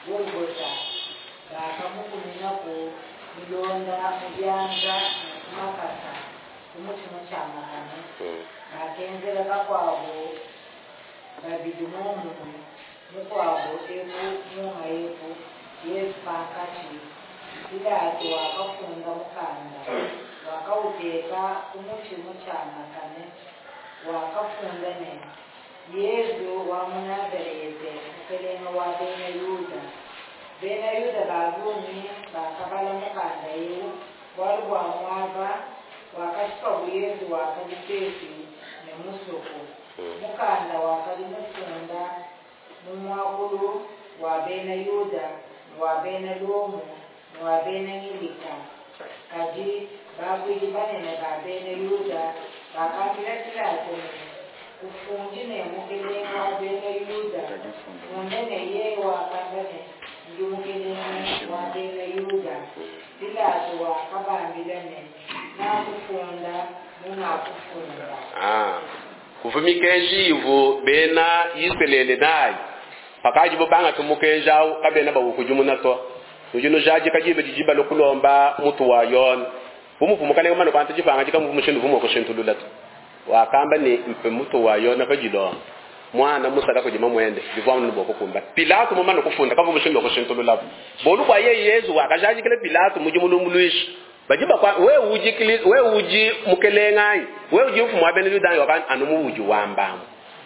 Golgota bakamukuminaku milonda mubyanza ne kumakasa kumuti muchamakane bakenzela bakwabo babili momumwe mukwabo eku munga eku Yesu pankachi Pilato wakafunda mukanda wakauteka kumuti muchamakane wakafunda ne Yesu wa Munazarete mukelenga wa bena Yuda bena Yuda babungi bakabala mukanda ewu bwalu bwa mwaba wakashipabu Yesu wakali pepi ne musuku mukanda wakali mufunda mumwakulu wa bena Yuda wa bena Lomu wa bena Ngilika kaji bakwili banene ba bena Yuda bakambila Pilato ne kufundi ne mukelenga wa bena Yuda munene ye wakamba ne ndi mukelenga wa bena Yuda Pilato wakabambila ne nakufunda munakufunda ah kuvumikeji ivu bena Israeli nayi pakaji bobanga tumukenja kabena bawukujumuna to ujino jaji kajibe jijiba lokulomba mutu wa yona bumuvumukane mano kwanta jipanga jikamuvumushindu vumo kushintulula to wakamba ni mpe mutu wa yona kajilomba mwana musala kujima mwende bivwa nuboko kumba Pilato mumano kufunda kavumushindu kushintulula bolu kwa ye Yesu wakajaji kile Pilato mujimulumuluishi bajiba kwa we uji kili we uji mukelengai we uji mfumu abene yudangi wakan anumu uji wambamu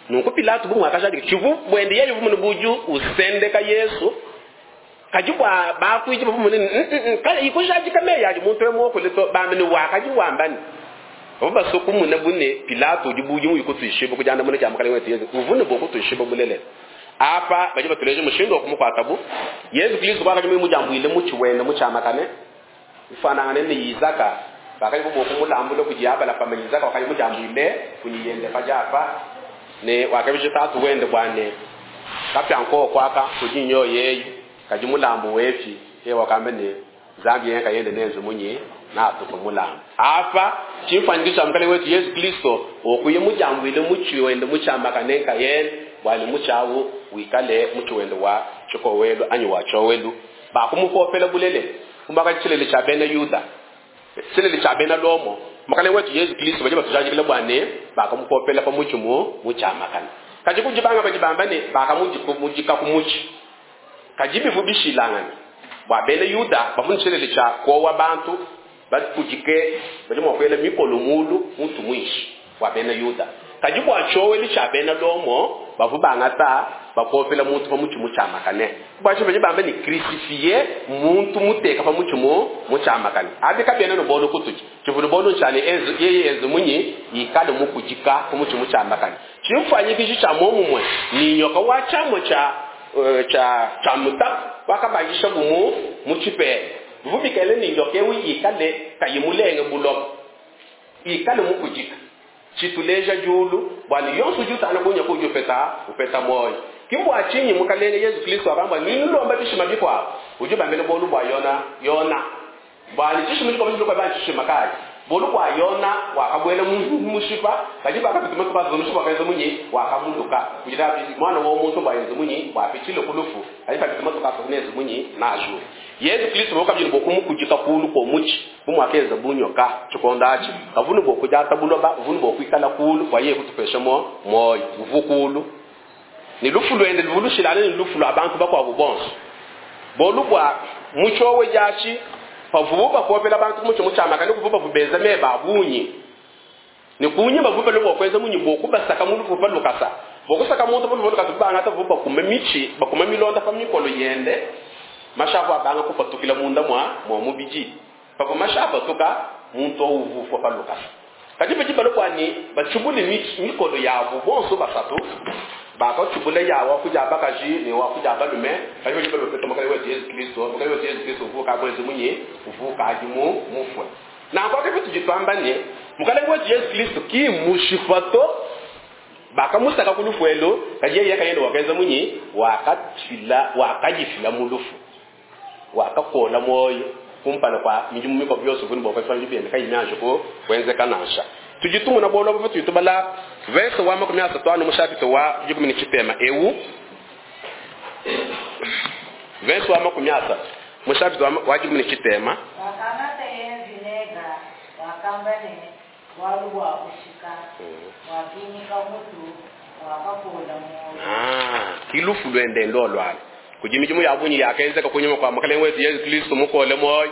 nuko Pilato bumu akashaji chivu bwende yeye vumu buju usendeka Yesu kajibwa bakwiji bumu ni kale ikushaji kame yaji muntu wemo kuleto bamene wakaji wambani oba sokumu na bune Pilato uji buju yikutuishibo kujanda mune cha mukale wetu Yesu uvune bokutuishibo bulele apa bajiba tuleje mushindo kumukwatabu Yesu Kristo kwakaji mujambwile muchiwende muchamakane ifanangane ni Isaka bakali bobo kumulambula kujiyabala pamwe Isaka wakali mujambwile kunyiyende pajapa ne wakabije tatu wende bwane kapyanko kwaka kujinyo yeyi kajimulambu wefi ye wakambe ne zambi yenka yende nenzo munye na tukumulamba apa chimfanyikisha mukale wetu Yesu Kristo okuye mujambwile muchiwende muchamakane kayene bwali muchawu wikale muchiwende wa chikowelu anyi wa chowelu bakumupopela bulele kumbaka chilele cha bena Yuda chilele cha bena Lomo makale wetu Yesu Kristo baje batujajikile bwane bakamupopela pa muchimu muchamakana kaji kujibanga bajibambane bakamujika kumuchi kajibi vubishilangana bwa bena Yuda bavuna chilele cha kowa bantu bakujike baje mwakwela mikolo mulu muntu mwishi wa bena Yuda kaji bwa choweli cha bena Lomo bavubanga ta Bakopela muntu pa mutshi mutshiamakane. Bua tshinyi badi bamba ne crucifié muntu muteka pa mutshi mu mutshiamakane? Abi kabiena ne bolu kutudi. Tshivua bolu ntshia ne enzu, yeye enzu munyi ikale mukudika ku mutshi mutshiamakane. Tshimfuanyikishi tshia muomumue ni nyoka wa tshiamua tshia, eh, tshia, tshia mutaku wakabangisha bumu mu tshipela. Bivua bikale ne nyoka ewu ikale kayi mulenge buloba, ikale mukudika. Tshituleja diulu bua ne yonso udi utana kunya ku udi upeta, upeta muoyo. Ki mbua tshinyi Mukalenge Yezu Kristo wakamba ne nulomba bishima bikuabu, udi ubambila bualu bua Yona, Yona. Bua ne tshishima tshikuabu tshidi bua tshishima kayi? Bualu bua Yona wakabuela mu mushipa, kadi bakapita matuku asatu mushipa wakaenza munyi? Wakamuluka. Kugira mwana wa muntu bua yenze munyi? Bua apitshile ku lufu. Kadi pakapita matuku asatu nenze munyi? Naju. Yezu Kristo wakabila bua kumukudika kulu kwa mutshi, bu muakenza bunyoka tshikondo atshi. Kavunu bua kudiata buloba, vunu bua kuikala kulu, bua yeye kutupesha mo muoyo, uvu kulu. Ni lufu lwende luvulushilane ni lufu lwa bantu bakuabu bonso. Bolu bua mutshowe diatshi, pavubu bakopela bantu mutshi mutshiamakane, kuvu bavubeza meba a bungi. Ni kunyi bavuba lubua kuenza munyi bua kubasaka mu lufu pa lukasa. Bua kusaka muntu pa lufu lukasa, bangata vuba bakuma mitshi, bakuma milonda pa mikolo yende. Mashapu abanga kupatukila munda mwa, mwa mubidi. Pavua mashapu atuka, muntu uvufua pa lukasa. Kadi badi balua ni batshubule mitshi, mikolo yabu bonso basatu. Bakatshubula ya wa kuja bakaji ne wa kuja balume. Kadi badi balua peta Mukalenge wetu Yezu Kristo. Mukalenge wetu Yezu Kristo uvuka bwenze munyi, uvuka adi mu mufue. Nanku ake bitu ditwamba ne, Mukalenge wetu Yezu Kristo ki mushipa to. Bakamusaka ku lufu elu, kadi yeye kayende wakenza munyi, wakafila, wakajifila mu lufu. Wakakola muoyo kumpala kwa midimu mikuabu yonso kuni bua kuenza biende kayi mianji ku kuenzeka nansha. Tudi tumona bualu abu patudi tubala verse wa makumi asatu anu mu chapitre wa dikumi ne tshitema ewu. Verse wa makumi asatu mu chapitre wa, wa dikumi ne tshitema. Wakangata ye vinega, wakamba ne bualu bua kushika, wakinyika mutu, wakakola muoyo. Ah, ki lufu lwende ndo lwale. Kudi midimu ya bungi yakenzeka kunyuma kwa Mukalenge wetu Yezu Kristo mukole muoyo.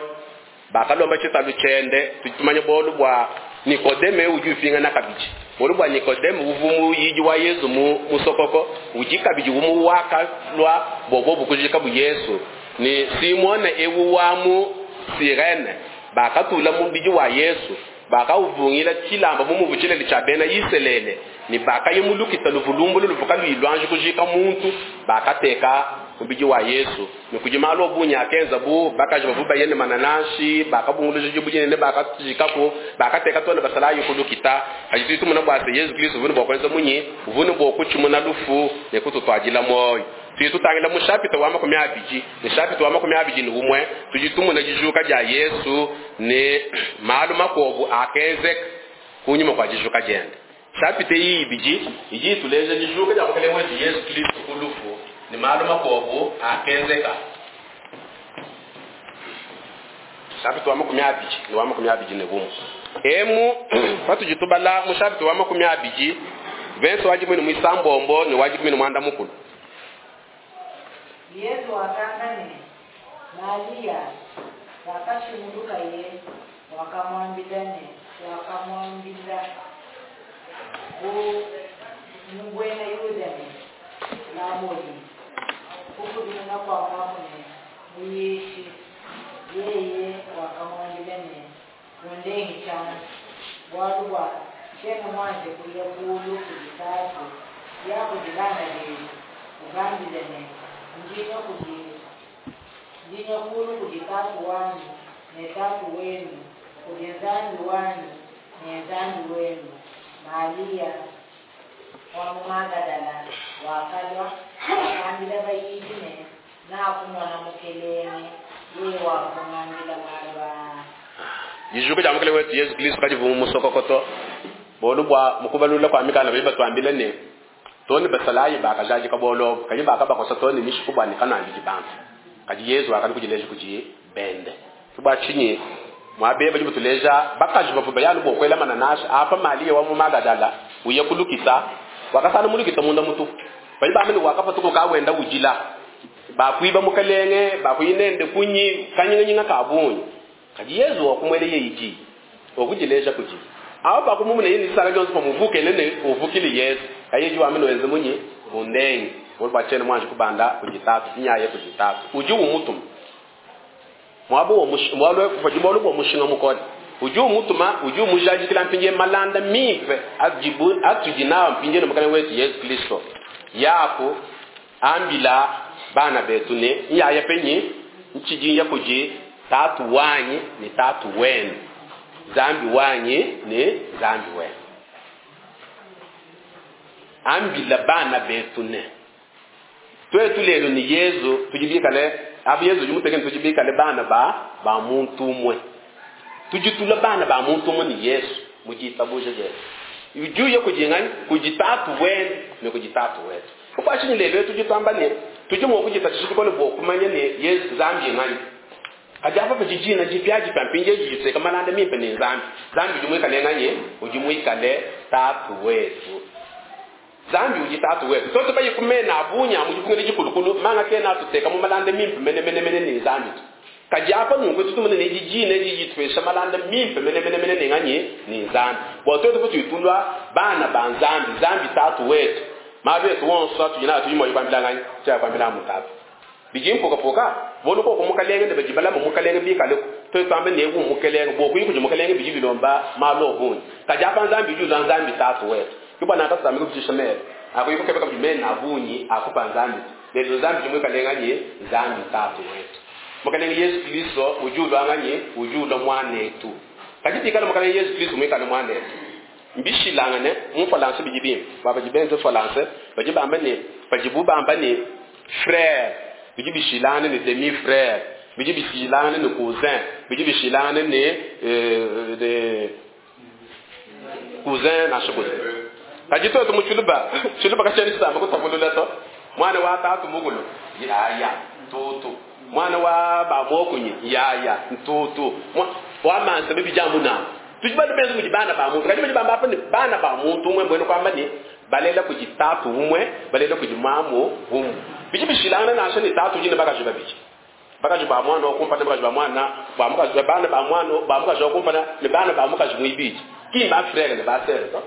Bakalomba tshitalu tshiende, tudi tumanya bualu bua Nikodeme udi upingana kabidi. Bualu bua Nikodeme uvu muyidi wa Yezu mu musokoko, udi kabidi umu wakalua bobo bukujika bu Yesu. Ni Simone ewu wa mu Sirene, bakatula mubidi wa Yesu, bakauvungila tshilamba mu muvu tshilele tshia bena Isalele, ni bakayimulukita luvulumbulu luvuka luilwanji kujika muntu, bakateka mubidi wa Yesu. Ni kudi malu obunyi akenza bu bakaji bavu bayene manananshi, bakabunguluja dibudine ne bakajikaku, bakateka tona basalayi kulukita. Kadi tudi tumona bua se Yesu Kristo uvune bua kuenza munyi, uvune bua kutshimuna lufu ne kututwadila muoyo. Tudi tutangila mu chapitre wa makumi abidi, mu chapitre wa makumi abidi ne umue, tudi tumona dijuka dia Yesu ne malu makuabu akenzeka kunyuma kua dijuka diende. Chapitre iyi ibidi idi ituleja dijuka dia Mukalenge wetu Yesu Kristo ku lufu ne malu makuabu akenzeka. Chapitre wa makumi abidi ne wa makumi abidi ne umue. Emu patudi tubala mu chapitre wa makumi abidi, verse wa dikumi ne muisambombo ne wa dikumi ne muanda mukulu. Yesu wakamba ne Maria wakashimuluka ye, wakamwambila ne, wakamwambila bu mubwena Yuda ne Laboni, kukudimuna kwa mwaku ne muyishi. Yeye wakamwambila ne undengi chana bwalu bwa shena mwanje kuya kulu kudi tatu ya kudilana lelu ugambile ne ndinya kudi ndinya kulu kudi tatu wanyu ne tatu wenu kudi nzambi wanyu ne nzambi wenu. Maria wa mu Magadala wakalwa wakambila bayidi ne nakumona mukelenge yeye wakumwambila malu aa. Dijuka dia Mukelenge wetu Yesu Kristo kadi vu musokokoto. Bolu bua mukubalula kwa mikanda bali batuambila ne toni basalayi bakajaji kabolo kadi bakabakosa toni mishiku bua ne kana mbidi bantu. Kadi Yesu wakali kujileja kuji bende. Tubwa chinyi mwabe bali butuleja bakaji bavu bayanu bokwela mananasha apa Maria wa mu Magadala uye kulukisa wakasana mulukisa munda mutu. Bali bamene wakapatuka kawenda ujila. Bakwiba mukalenge bakuyinende kunyi kanyinga kabunyi. Kadi Yesu wakumwele yeiji okujileja kuji. Aho bakumumune yini saka jonso pamuvuke nene uvukile Yesu. Kayeji wamene wenze munyi undengi. Bualu bua tshiena muanji kubanda kudi tatu, nyaye kudi tatu. Udi umutuma. Muaba wa mushi- bualu padi bualu bua mushinga mukole. Udi umutuma, udi umujadikila mpindieu malanda mimpe adibu atudi nawo mpindieu ne Mukalenge wetu Yesu Kristo. Yaku ambila bana betu ne nyaya penyi ntshidi nya kudi tatu wanyi ne tatu wenu, Nzambi wanyi ne Nzambi wenu. Ambila bana betu ne twetu lelo ni Yesu tudi bikale abu Yesu udi mutekene tudi bikale bana ba ba muntu umwe, tudi tula bana ba muntu umwe ni Yesu mujitabuja Yesu ujuye kujingani kudi tatu wenu ne kudi tatu wetu. Kupashi lelo tudi twamba ne tudi mua kujitatshisha bikole bua kumanya ne Yesu Nzambi ngani. Kadi apa padi dina dipiadipia mpindieu didiseka malanda mimpe ne Nzambi. Nzambi udi muikale ngani? Udi muikale tatu wetu. Nzambi udi tatu wetu. Toto bayi kumena abunya mu dipungila dikulukulu manga kena tuteka mu malanda mimpe mene mene mene ne Nzambi. Kadi apa nunku tutumune ne didina diditupesha malanda mimpe mene mene mene ne ngani? Ne Nzambi. Bua tuetu kututulwa bana ba Nzambi, Nzambi tatu wetu. Malu etu wonso atudi nawo tudi mua kuambila ngani? Tshia kuambila mu tatu. Bidi mpukapuka, bolu koko mukalenge ne badi balama mukalenge bikale tuetu twambe ne ku mukalenge, bua kuyi kudi mukalenge bidi bilomba malu obungi. Kadi apa Nzambi udi ulwa Nzambi tatu wetu. Ke bua nanka tusambi kubitisha mele. Akuyi kukebeka bidi mena abungi akupa Nzambi. Lelo Nzambi udi muikale ngani? Nzambi tatu wetu. Mukalenge Yesu Kristo udi ulwa ngani? Udi ulwa mwanetu. Kadi bikala mukalenge Yesu Kristo muikale mwanetu. Mbishilangane mu Falansa bidi bimpe. Baba badi benze Falansa, badi bamba ne, badi bamba ne frère, bidi bishilangane ne demi frère, bidi bishilangane ne cousin, bidi bishilangane ne euh, de cousin na cousin. Kadi twetu mu Tshiluba, Tshiluba katshena tshisamba kutapulula to. Mwana wa tatu mukulu, yaya, tutu. Mwana wa bamokunyi, yaya, ntutu. Wa mansa bibi jamuna. Tudi bana benze mudi bana ba muntu. Kadi badi bamba apa ne bana ba muntu umwe mbwene kwamba ne balela kudi tatu umwe, balela kudi mamu umwe. Bidi bishilangana nansha ne tatu udi ne bakaji babidi. Bakaji ba mwana wa kumpala, bakaji ba mwana, ba mukaji, bana ba mwana, ba mukaji wa kumpala, ne bana ba mukaji muibidi. Ki ba frère ne ba sœur to.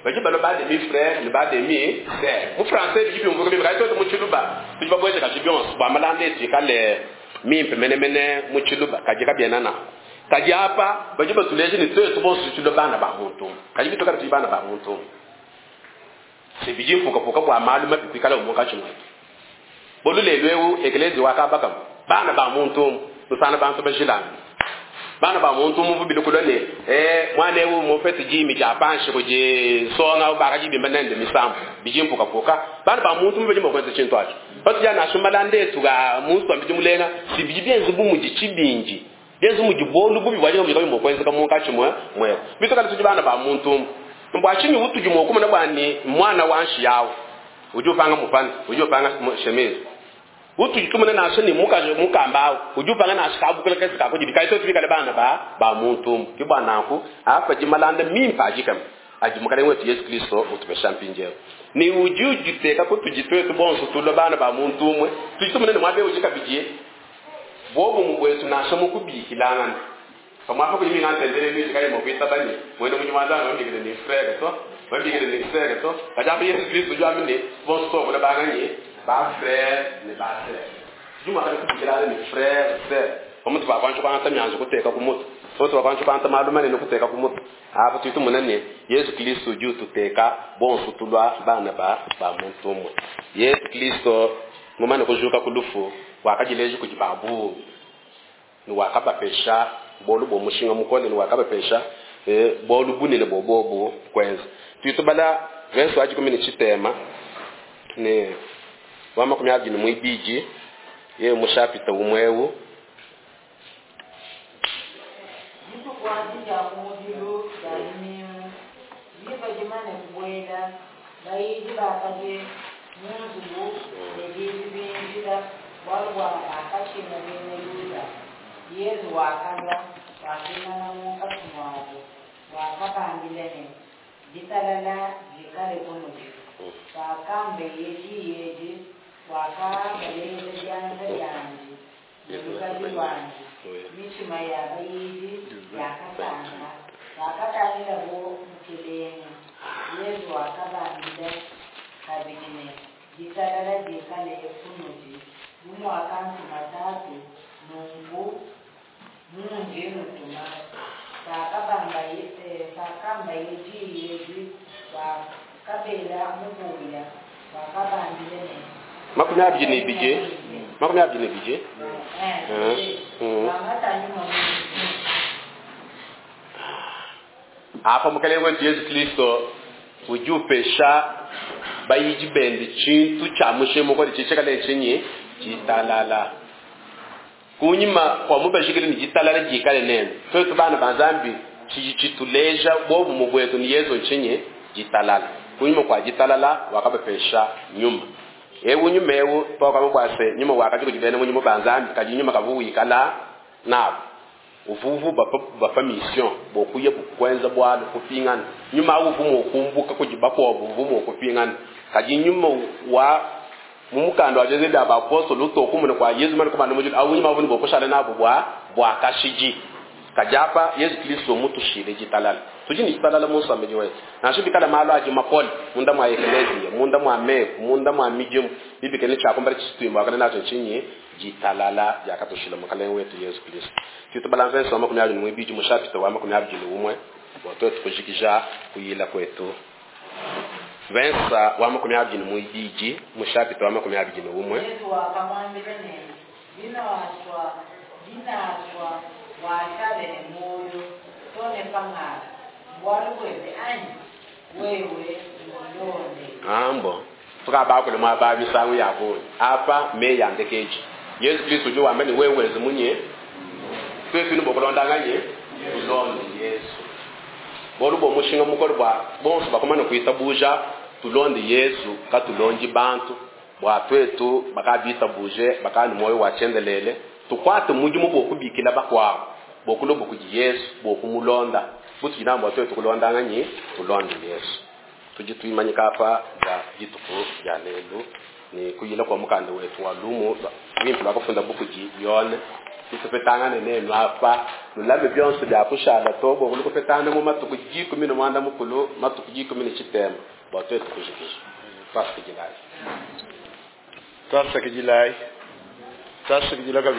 Badi balo ba demi frère ne ba demi sœur. Mu français bidi byumvuka bimpe, kadi twetu mu Tshiluba, tudi babweze kaji byonso, bua malanda etu ikale mimpe menemene mu Tshiluba, kadi kabiena nanku. Kadi apa badi batuleje ne twetu bonso tudi bana ba muntu. Kadi bituka tudi bana ba muntu. Se bidi mpukapuka bua malu mabi kuikala munkatshi mwetu. Bolu lelu eu eklezia wakabaka bana ba muntu, musana bantu bajilanga. Bana ba muntu mu bubili kulwa ne, eh, mwana eu mufete jimi ja panshi kuje songa bakaji bimba nende misambu bidi mpukapuka. Bana ba muntu mu bidi mukwenza tshintu acho. Batu ja nasumba ndetu ga muntu ambidi mulenga si bidi byenze bu mudi tshibinji. Byenze mudi bolu bubi bwaje mu mukwenza ka munkatshi mwe mwe. Bituka tudi bana ba muntu. Mbwa chinyi utudi mwokumana bwani mwana wanshi yawo. Udi upanga mupana, udi upanga chemise. Utudi tumuna nasho ni mukaji mukamba, udi upanga nasho kabukula kesi kakudi bikaito tubikale bana ba ba muntu. Ki bwana nanku apa jimalanda mimpa ajikam. Aji mukalenge wetu Yesu Kristo utupesha mpindieu. Ni udi ujiteka kutujitwe bonso tulo bana ba muntu umwe. Tudi tumuna ne mwabe ujika bidie. Bobo mubwetu nasho mukubikilangana. Pamwapa kuli mina ntendele miji kali mokwita bani. Mwene munyi mwanzana wambikile ni frère to. Wambikile ni sœur to. Kajambo Yesu Kristo ujwa mine bonso to banganye ba frère ne ba sœur. Juma kali kubikilana ni frère sœur. Pamutu ba kwancho kwanta myanzo kuteka kumutu. Pamutu ba kwancho kwanta malu manene kuteka kumutu. Apa tuitu munene Yesu Kristo ujua tuteka bonso tulwa bana ba ba muntu umwe. Yesu Kristo mumane kujuka kulufu wakajileje kujibabu. Ni wakabapesha bolu bo mushinga mukole ni wakabapesha eh, bolu bunene bobobu kwenza. Tuitubala verse waji kumi ni chitema ne wa makumi abiri ni mwibiji ye mushapita umwewu. Dituku adi dia kumudilu dia lumingu, diba dimane kubuela, bayidi bakadi mu nzubu ne bibi binjila, bualu bua bakatshina bena Yuda. Yezu wakalua, wakimana munkatshi muabu, wakabambila ne, ditalala dikale kunudi. Wakambeye diyi edi, wakabaleja bianza biandi ne lukadi luandi. Mitshima ya bayidi yakasanka, bakatangila bo mukelenge. Yezu wakabambila kabidi ne, Ditalala dikale kunudi, bu muakantuma Tatu, nunku mundi nutuma. Pakabambaye eh, pakambaye diyi edi, wakabela mupuya, wakabambila ne makumi abidi ne ibidi makumi abidi ne ibidi Eh, Mm. wangata nyuma mwingi. Apa mukalenge wetu Yesu Kristo udi upesha bayidi bende tshintu tshia mushinga mukole tshitshikale tshinyi tshitalala. Kunyima kwa mubashikile ni ditalala dikale nenu, twetu bana ba Nzambi tshidi tshituleja bobumwe bwetu ni Yesu ntshinyi ditalala. Kunyima kwa ditalala wakabapesha nyuma. Ewu nyuma ewu twakaba bwase nyuma wakati kudi bena munyuma ba Nzambi, kadi nyuma kavu wikala nabo uvuvu bapa bapa mission bokuya bukwenza bwalo kupingana. Nyuma awu uvumu okumbuka kudi bakuabo uvumu okupingana. Kadi nyuma wa mumukando wa Jose da bapostolo utokumuna kwa Yesu mane kubana mujulu awu nyuma avuni bokushala nabo bwa bwa kashiji. Kajapa Yesu Kristo mutushile jitalala. Tudi ni jitalala musa mbeji wetu. Nansha bikala malu aji makole munda mwa eklezia, munda mwa meku, munda mwa mijimu, bibikene chakumbala chisitwimba wakana nacho chinyi jitalala yakatushila mukalenge wetu Yesu Kristo. Tutu balanza nsoma makumi abiri n'ibiri mu chapter wa makumi abiri n'umwe bwa twetu kujikija kuyila kwetu. Vensa wa makumi abiri n'ibiri mu chapter wa makumi abiri n'umwe. Yesu wakamwambila ne binaswa binaswa washale ne moyo tone pangala bwalu bwebe anyi wewe mulonde. Ambo tukaba kule mwa babi sangu yabo apa me yandekeji. Yesu Kristo jo wambe ni wewe zimunye twetu ni bokulonda nganye tulonde Yesu. Bolu bo mushinga mukolo bwa bonso bakomana kuita buja tulonde Yesu katulonji bantu bwa twetu bakabita buje bakani moyo wa chendelele tukwate mujimu bokubikila bakwabo bokulobo kuji Yesu bokumulonda butu jinambo twetu kulonda nganye tulonde Yesu. Tuji tuimanyika apa bwa dituku ya lelu ni kuyila kwa mukanda wetu wa lumu wimpi lwakufunda bukuji yone tutupetangane nenu apa lulame byonso bya kushala tobo kulikupetana mu matuku jikumi no mwanda mukulu matuku jikumi ni chitema bwa twetu kujikisha twasikijilayi twasikijilayi twasikijilaga.